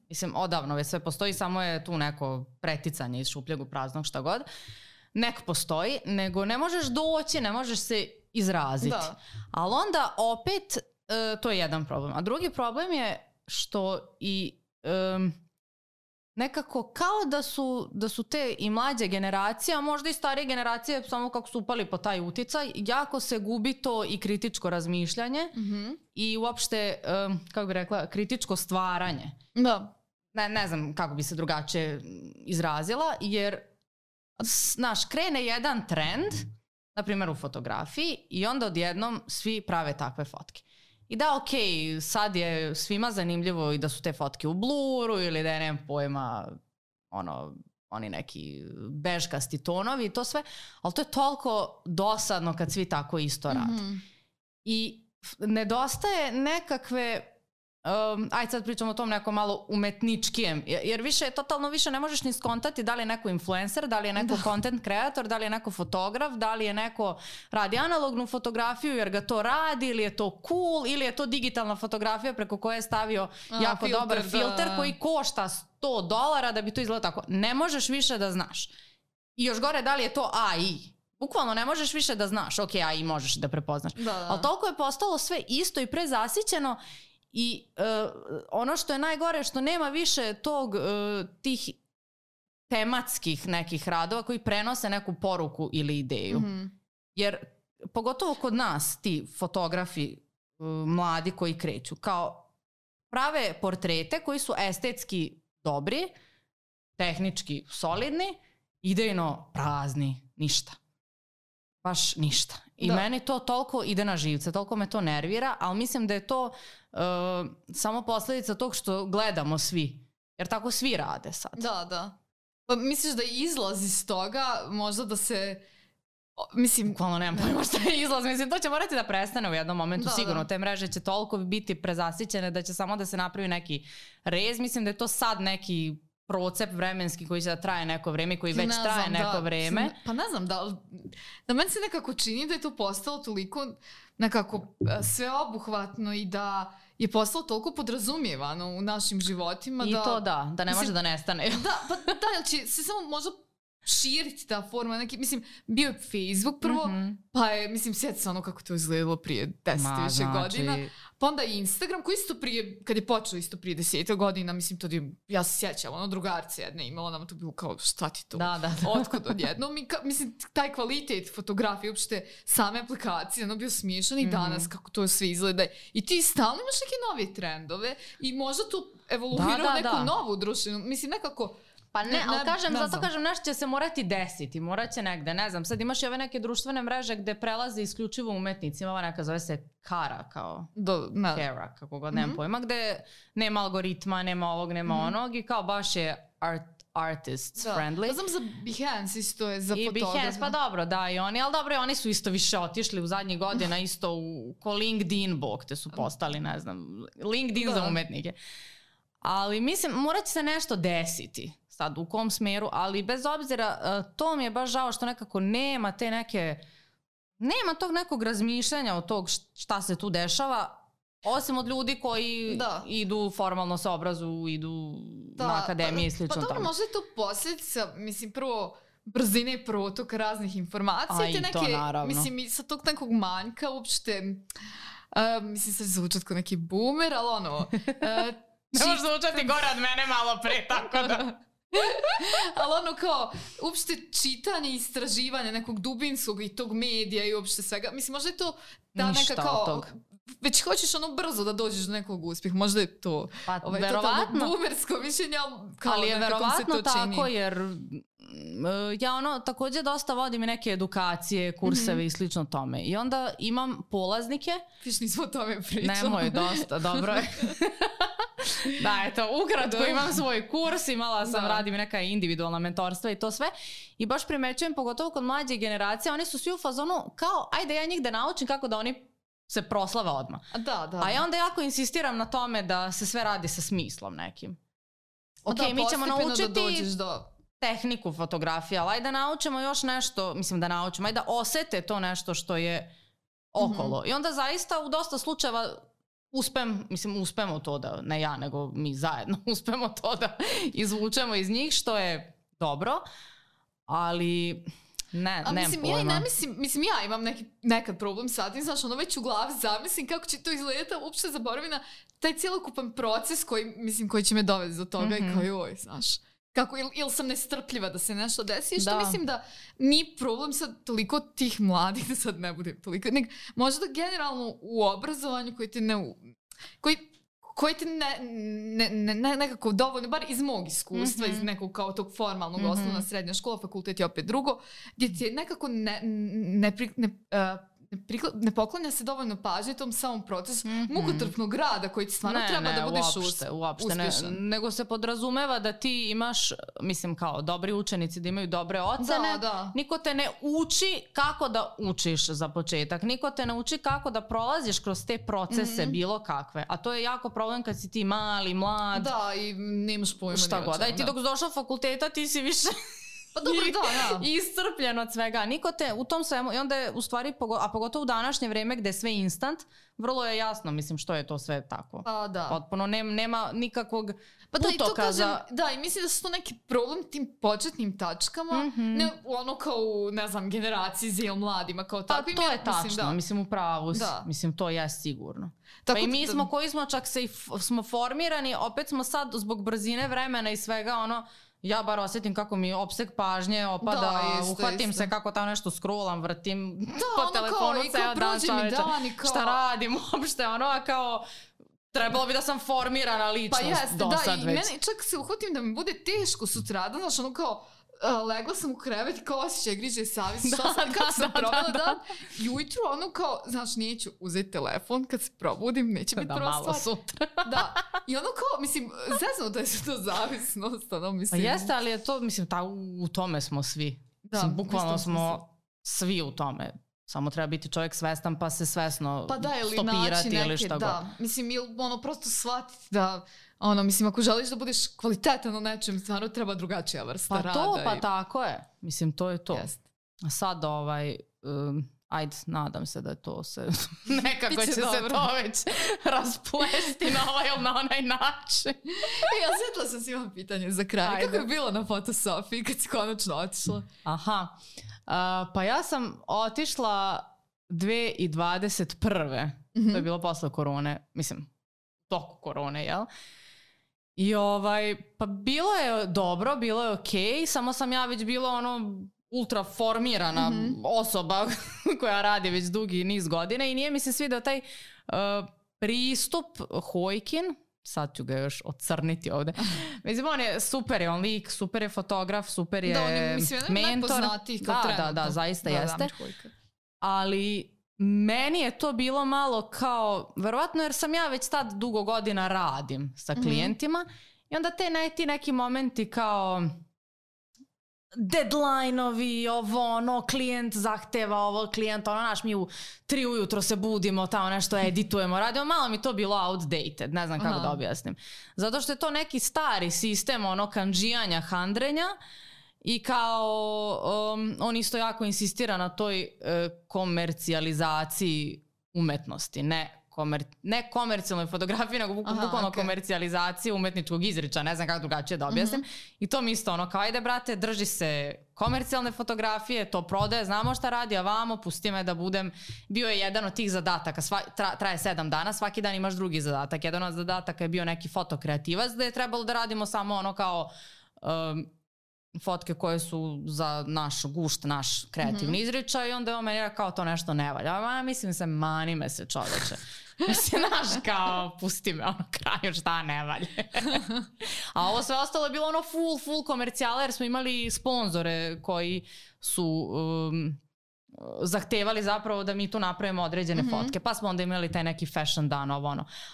Mislim, odavno već sve postoji, samo je tu neko preticanje iz šupljeg u praznog, šta god. Nek postoji, nego ne možeš doći, ne možeš se izraziti. Ali onda opet to je jedan problem. A drugi problem je što i nekako kao da su te i mlađe generacije, a možda i starije generacije, samo kako su upali po taj uticaj, jako se gubi to i kritičko razmišljanje i uopšte, kako bi rekla, kritičko stvaranje. Da. Ne znam kako bi se drugačije izrazila, jer krene jedan trend, na primjer u fotografiji, i onda odjednom svi prave takve fotke. I da, okej, sad je svima zanimljivo i da su te fotke u bluru ili da je, nemam pojma, oni neki bežkasti tonovi i to sve, ali to je toliko dosadno kad svi tako isto rade. I nedostaje nekakve ajde sad pričamo o tom nekom malo umetničkijem, jer više totalno više ne možeš ni skontati da li je neko influencer, da li je neko content creator, da li je neko fotograf, da li je neko radi analognu fotografiju jer ga to radi, ili je to cool, ili je to digitalna fotografija preko koje je stavio jako filter, dobar filter koji košta $100 da bi to izgledalo tako. Ne možeš više da znaš. I još gore, da li je to AI? Bukvalno ne možeš više da znaš. Ok, AI možeš da prepoznaš. Ali toliko je postalo sve isto i prezasićeno. I ono što je najgore, što nema više tih tematskih nekih radova koji prenose neku poruku ili ideju. Jer pogotovo kod nas ti fotografi mladi koji kreću kao prave portrete koji su estetski dobri, tehnički solidni, idejno prazni, ništa. Baš ništa. I meni to toliko ide na živce, toliko me to nervira, ali mislim da je to samo posljedica tog što gledamo svi. Jer tako svi rade sad. Da. Pa misliš da izlaz iz toga možda da se... Mislim, bukvalno nemam pojma šta je izlaz. Mislim, to će morati da prestane u jednom momentu. Sigurno, te mreže će toliko biti prezasićene da će samo da se napravi neki rez. Mislim da je to sad neki procep vremenski koji će da traje neko vreme, koji već traje neko vreme. Pa ne znam, da meni se nekako čini da je to postalo toliko nekako sveobuhvatno i da je postalo toliko podrazumijevano u našim životima. I to da ne može da nestane. Jer će se samo možda širiti ta forma. Mislim, bio je Facebook prvo, pa je, mislim, sjeti se ono kako to izgledalo prije 10 više godina. Pa onda i Instagram, koji isto prije, kad je počeo isto prije 10 godina, mislim, to ja se sjećam, ono, drugarce jedne imala, nam to bilo kao, šta ti to? Otkud odjednom? Mislim, taj kvalitet fotografije, uopšte same aplikacije, ono bio smiješan i danas kako to sve izgleda. I ti stalno imaš neke nove trendove i možda to evoluira u neku novu društvenu, mislim, nekako... Pa ne, ali zato kažem, nešto će se morati desiti, morat će negde, ne znam, sad imaš i ove neke društvene mreže gde prelaze isključivo umetnici, ova neka zove se Kara, kao Kara, kako god, nemam pojma, gde nema algoritma, nema ovog, nema onog i kao baš je artists friendly. Ja znam za Behance isto je za fotografe. I Behance, pa dobro, da, i oni, ali dobro, oni su isto više otišli u zadnjih godina, isto ko LinkedIn bog, te su postali, ne znam, LinkedIn za umetnike. Ali mislim, morat će se nešto desiti. Sad u kom smeru, ali bez obzira, to mi je baš žao što nekako nema tog nekog razmišljanja od tog šta se tu dešava, osim od ljudi koji idu formalno se obrazuju, idu na akademije i slično tome. Pa dobro, možda je to posljedica, mislim, prvo brzine i protok raznih informacija. I to naravno. Mislim, i sa tog nekog manjka uopšte, mislim, sad zvučat kao neki boomer, ali ono... Ne možeš zvučati gore od mene malo pre, tako da... Ali ono kao, uopšte čitanje i istraživanje nekog dubinskog i tog medija i uopšte svega, mislim, možda je to ta neka kao, već hoćeš ono brzo da dođeš do nekog uspjeha, možda je to verovatno boomersko mišljenje, ali je verovatno tako, jer ja ono također dosta vodim i neke edukacije, kurseve i slično tome i onda imam polaznike. Viš nismo o tome pričali. Nemoj, dosta, dobro je. Da, eto, ukratko imam svoj kurs, imala sam, radim neka individualna mentorstva i to sve i baš primećujem, pogotovo kod mlađe generacije, oni su svi u fazonu kao, ajde ja njih da naučim kako da oni se proslave odmah. A ja onda jako insistiram na tome da se sve radi sa smislom nekim. Ok, mi ćemo naučiti tehniku fotografije, ali ajde da naučimo još nešto, mislim da naučimo, ajde da osete to što je okolo. I onda zaista u dosta slučajeva uspemo to da, ne ja, nego mi zajedno uspemo to da izvučemo iz njih, što je dobro, ali nemam pojma. Mislim, ja imam nekad problem sad, znaš, ono već u glavi zamislim kako će to izgledati, uopšte zaboravim na taj cijelokupan proces koji će me dovesti do toga i kao joj, znaš. Kako, ili sam nestrpljiva da se nešto desi, što mislim da nije problem sad toliko tih mladih, da sad ne bude toliko, možda generalno u obrazovanju koji te nekako dovoljno, bar iz mog iskustva, iz nekog kao tog formalnog osnovna, srednja škola, fakultet je opet drugo, gdje ti je nekako ne poklanja se dovoljno pažnje tom samom procesu mukotrpnog rada koji ti stvarno treba da budeš uspješan. Nego se podrazumeva da ti imaš, mislim kao dobri učenici da imaju dobre ocene. Niko te ne uči kako da učiš za početak. Niko te ne uči kako da prolaziš kroz te procese bilo kakve. A to je jako problem kad si ti mali, mlad. Da, i nemaš pojma. Šta god. Da, i ti dok si došao fakulteta ti si više... Pa dobro, da. Iscrpljen od svega. Niko te u tom svemu, i onda je u stvari, a pogotovo u današnje vrijeme gdje je sve instant, vrlo je jasno, mislim, što je to sve tako. Pa da. Potpuno nema nikakvog putoka za... Da, i mislim da su to neki problem tim početnim tačkama, ne ono kao u, ne znam, generaciji za mladima, kao tako. Pa to je tačno, mislim, u pravu si. Mislim, to je sigurno. Pa i mi smo, koji smo čak smo formirani, opet smo sad zbog brzine vremena i svega ono, ja bar osjetim kako mi opseg pažnje opada, uhvatim se kako tamo nešto scrollam, vrtim po telefonu ceo dan, šta radim uopšte, ono, a kao trebalo bi da sam formirana ličnost do sad već. I meni čak se uhvatim da mi bude teško sutradan, znaš, ono kao, legla sam u krevet i kao osjećaj griže savjest, kako sam provela dan. I ujutru ono kao, znaš, neću uzeti telefon kad se probudim, neće biti prva stvar. Da, malo sutra. Da, i ono kao, mislim, zezno da je to zavisnost, ono, mislim. Pa jeste, ali je to, mislim, u tome smo svi. Mislim, bukvalno smo svi u tome. Samo treba biti čovjek svestan pa se svesno stopirati ili šta god. Mislim, ono, prosto shvatiti da, ono, mislim, ako želiš da budeš kvalitetan u nečem, stvarno treba drugačija vrsta rada. Pa tako je. Mislim, to je to. A sad, ajde, nadam se da to se, nekako će se to već rasplesti na ovaj ili na onaj način. Ja sjetila sam si imam pitanje za kraj. Kako je bilo na Fotosofiji kad si konačno otišla? Aha. Pa ja sam otišla 2021. To je bilo posle korone, mislim, toku korone, jel? I pa bilo je dobro, bilo je okej, samo sam ja već bila ono ultra formirana osoba koja radi već dugi niz godina i nije mi se svidao taj pristup Hojkin, sad ću ga još ocrniti ovde. Mislim, on je super, je on lik, super je fotograf, super je mentor. Da, zaista jeste. Ali meni je to bilo malo kao, verovatno jer sam ja već tad dugo godina radim sa klijentima i onda ti neki momenti kao deadline-ovi, klijent zahteva ovo, klijent, naš, mi u 3 ujutro se budimo, tamo nešto editujemo, radimo, malo mi to bilo outdated, ne znam kako da objasnim. Zato što je to neki stari sistem, kandžijanja, handrenja i kao on isto jako insistira na toj komercijalizaciji umetnosti, ne komercijalnoj fotografiji, nego bukvalno komercijalizaciji umetničkog izričaja, ne znam kako drugačije da objasnim. I to mi isto kao, ajde brate, drži se komercijalne fotografije, to prodaje, znamo šta radi, a vamo, pusti me da budem. Bio je jedan od tih zadataka, traje 7 dana, svaki dan imaš drugi zadatak. Jedan od zadataka je bio neki fotokreativac, da je trebalo da radimo samo kao fotke koje su za naš gušt, naš kreativni izričaj i onda je on meni kao to nešto ne valja. Mislim se, mani me se čoveče. Mislim, znaš, kao, pusti me kraju šta ne valje. A ovo sve ostalo je bilo full komercijala jer smo imali sponzore koji su zahtevali zapravo da mi tu napravimo određene fotke. Pa smo onda imali taj neki fashion dan,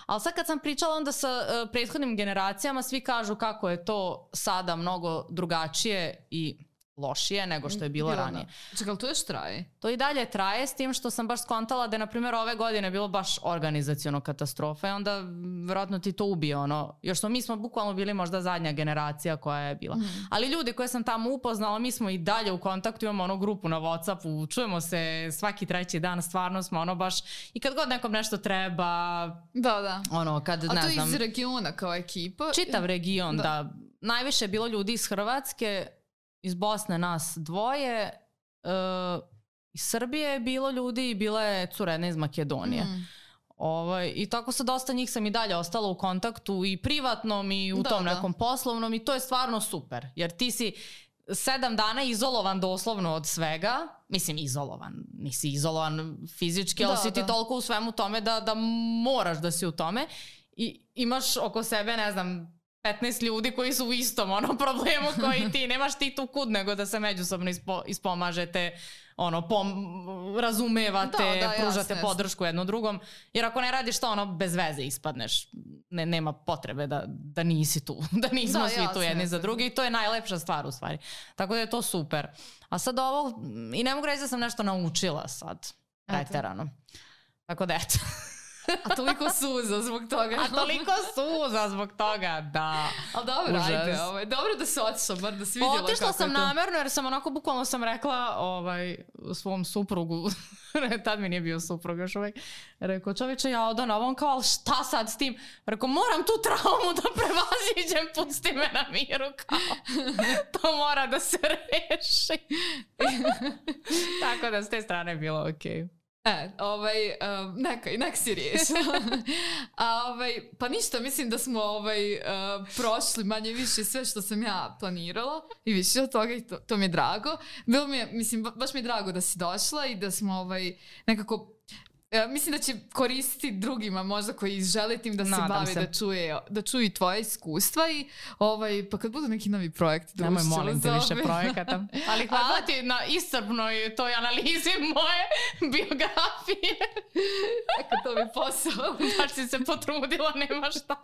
Ali sad kad sam pričala onda sa prethodnim generacijama, svi kažu kako je to sada mnogo drugačije i lošije nego što je bilo ranije. Čekaj, ali to još traje? To i dalje traje, s tim što sam baš skontala da je, na primjer, ove godine bilo baš organizaciono katastrofa i onda vjerojatno ti to ubije, još mi smo bukvalno bili možda zadnja generacija koja je bila. Ali ljudi koje sam tamo upoznala, mi smo i dalje u kontaktu, imamo grupu na WhatsAppu, čujemo se svaki 3. dan, stvarno smo baš, i kad god nekom nešto treba, kad, a to iz regiona kao ekipa? Čitav region, da. Najviše je bilo ljudi iz Hrvatske, iz Bosne nas 2, iz Srbije je bilo ljudi i bila je curena iz Makedonije. I tako sa dosta njih sam i dalje ostala u kontaktu i privatnom i u tom nekom poslovnom i to je stvarno super. Jer ti si 7 dana izolovan doslovno od svega. Mislim, izolovan. Nisi izolovan fizički, ali si ti toliko u svemu tome da moraš da si u tome. I imaš oko sebe, ne znam, 15 ljudi koji su u istom problemu koji ti. Nemaš ti tu kud nego da se međusobno ispomažete, razumevate, pružate podršku jedno drugom. Jer ako ne radiš to, bez veze ispadneš. Nema potrebe da nisi tu. Da nismo svi tu jedni za drugi. I to je najlepša stvar u stvari. Tako da je to super. A sad ovo, i ne mogu reći da sam nešto naučila sad. Preterano. Tako da eto. A toliko suza zbog toga. Da. Ali dobro, ajde, dobro da se otišla, bar da si vidjela kako je to. Otišla sam namerno jer sam bukvalno sam rekla svom suprugu, tad mi nije bio suprug još uvijek, rekao, čovječe, ja odam ovom, kao, ali šta sad s tim? Rekao, moram tu traumu da prevaziđem, pusti me na miru, kao, to mora da se reši. Tako da s te strane je bilo okej. Nek si riješila. Pa ništa, mislim da smo prošli manje više sve što sam ja planirala i više od toga i to mi je drago. Bilo mi je, mislim, baš mi je drago da si došla i da smo nekako... Mislim da će koristiti drugima možda koji žele tim da se bave, da čuju tvoje iskustva i pa kad budu neki novi projekti. Nemoj, molim te, više projekata. Ali hvala ti na iscrpnoj toj analizi moje biografije. To mi je posao. Baš si se potrudila, nema šta.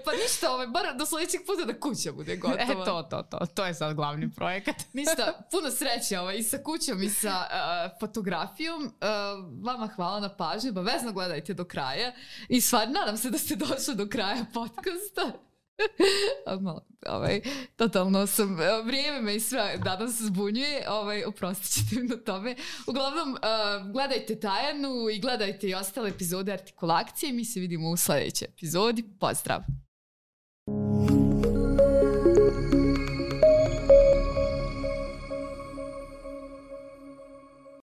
Pa ništa, bar do sljedećeg puta da kuća bude gotova. To je sad glavni projekat. Ništa, puno sreće i sa kućom i sa fotografijom. Vama hvala na pažnju, obavezno gledajte do kraja i stvarno nadam se da ste došli do kraja podcasta. Totalno sam, vrijeme me i sve danas zbunjuje, oprostit ćete mi na tome. Uglavnom, gledajte Tajanu i gledajte i ostale epizode Artikulakcije. Mi se vidimo u sljedećoj epizodi. Pozdrav!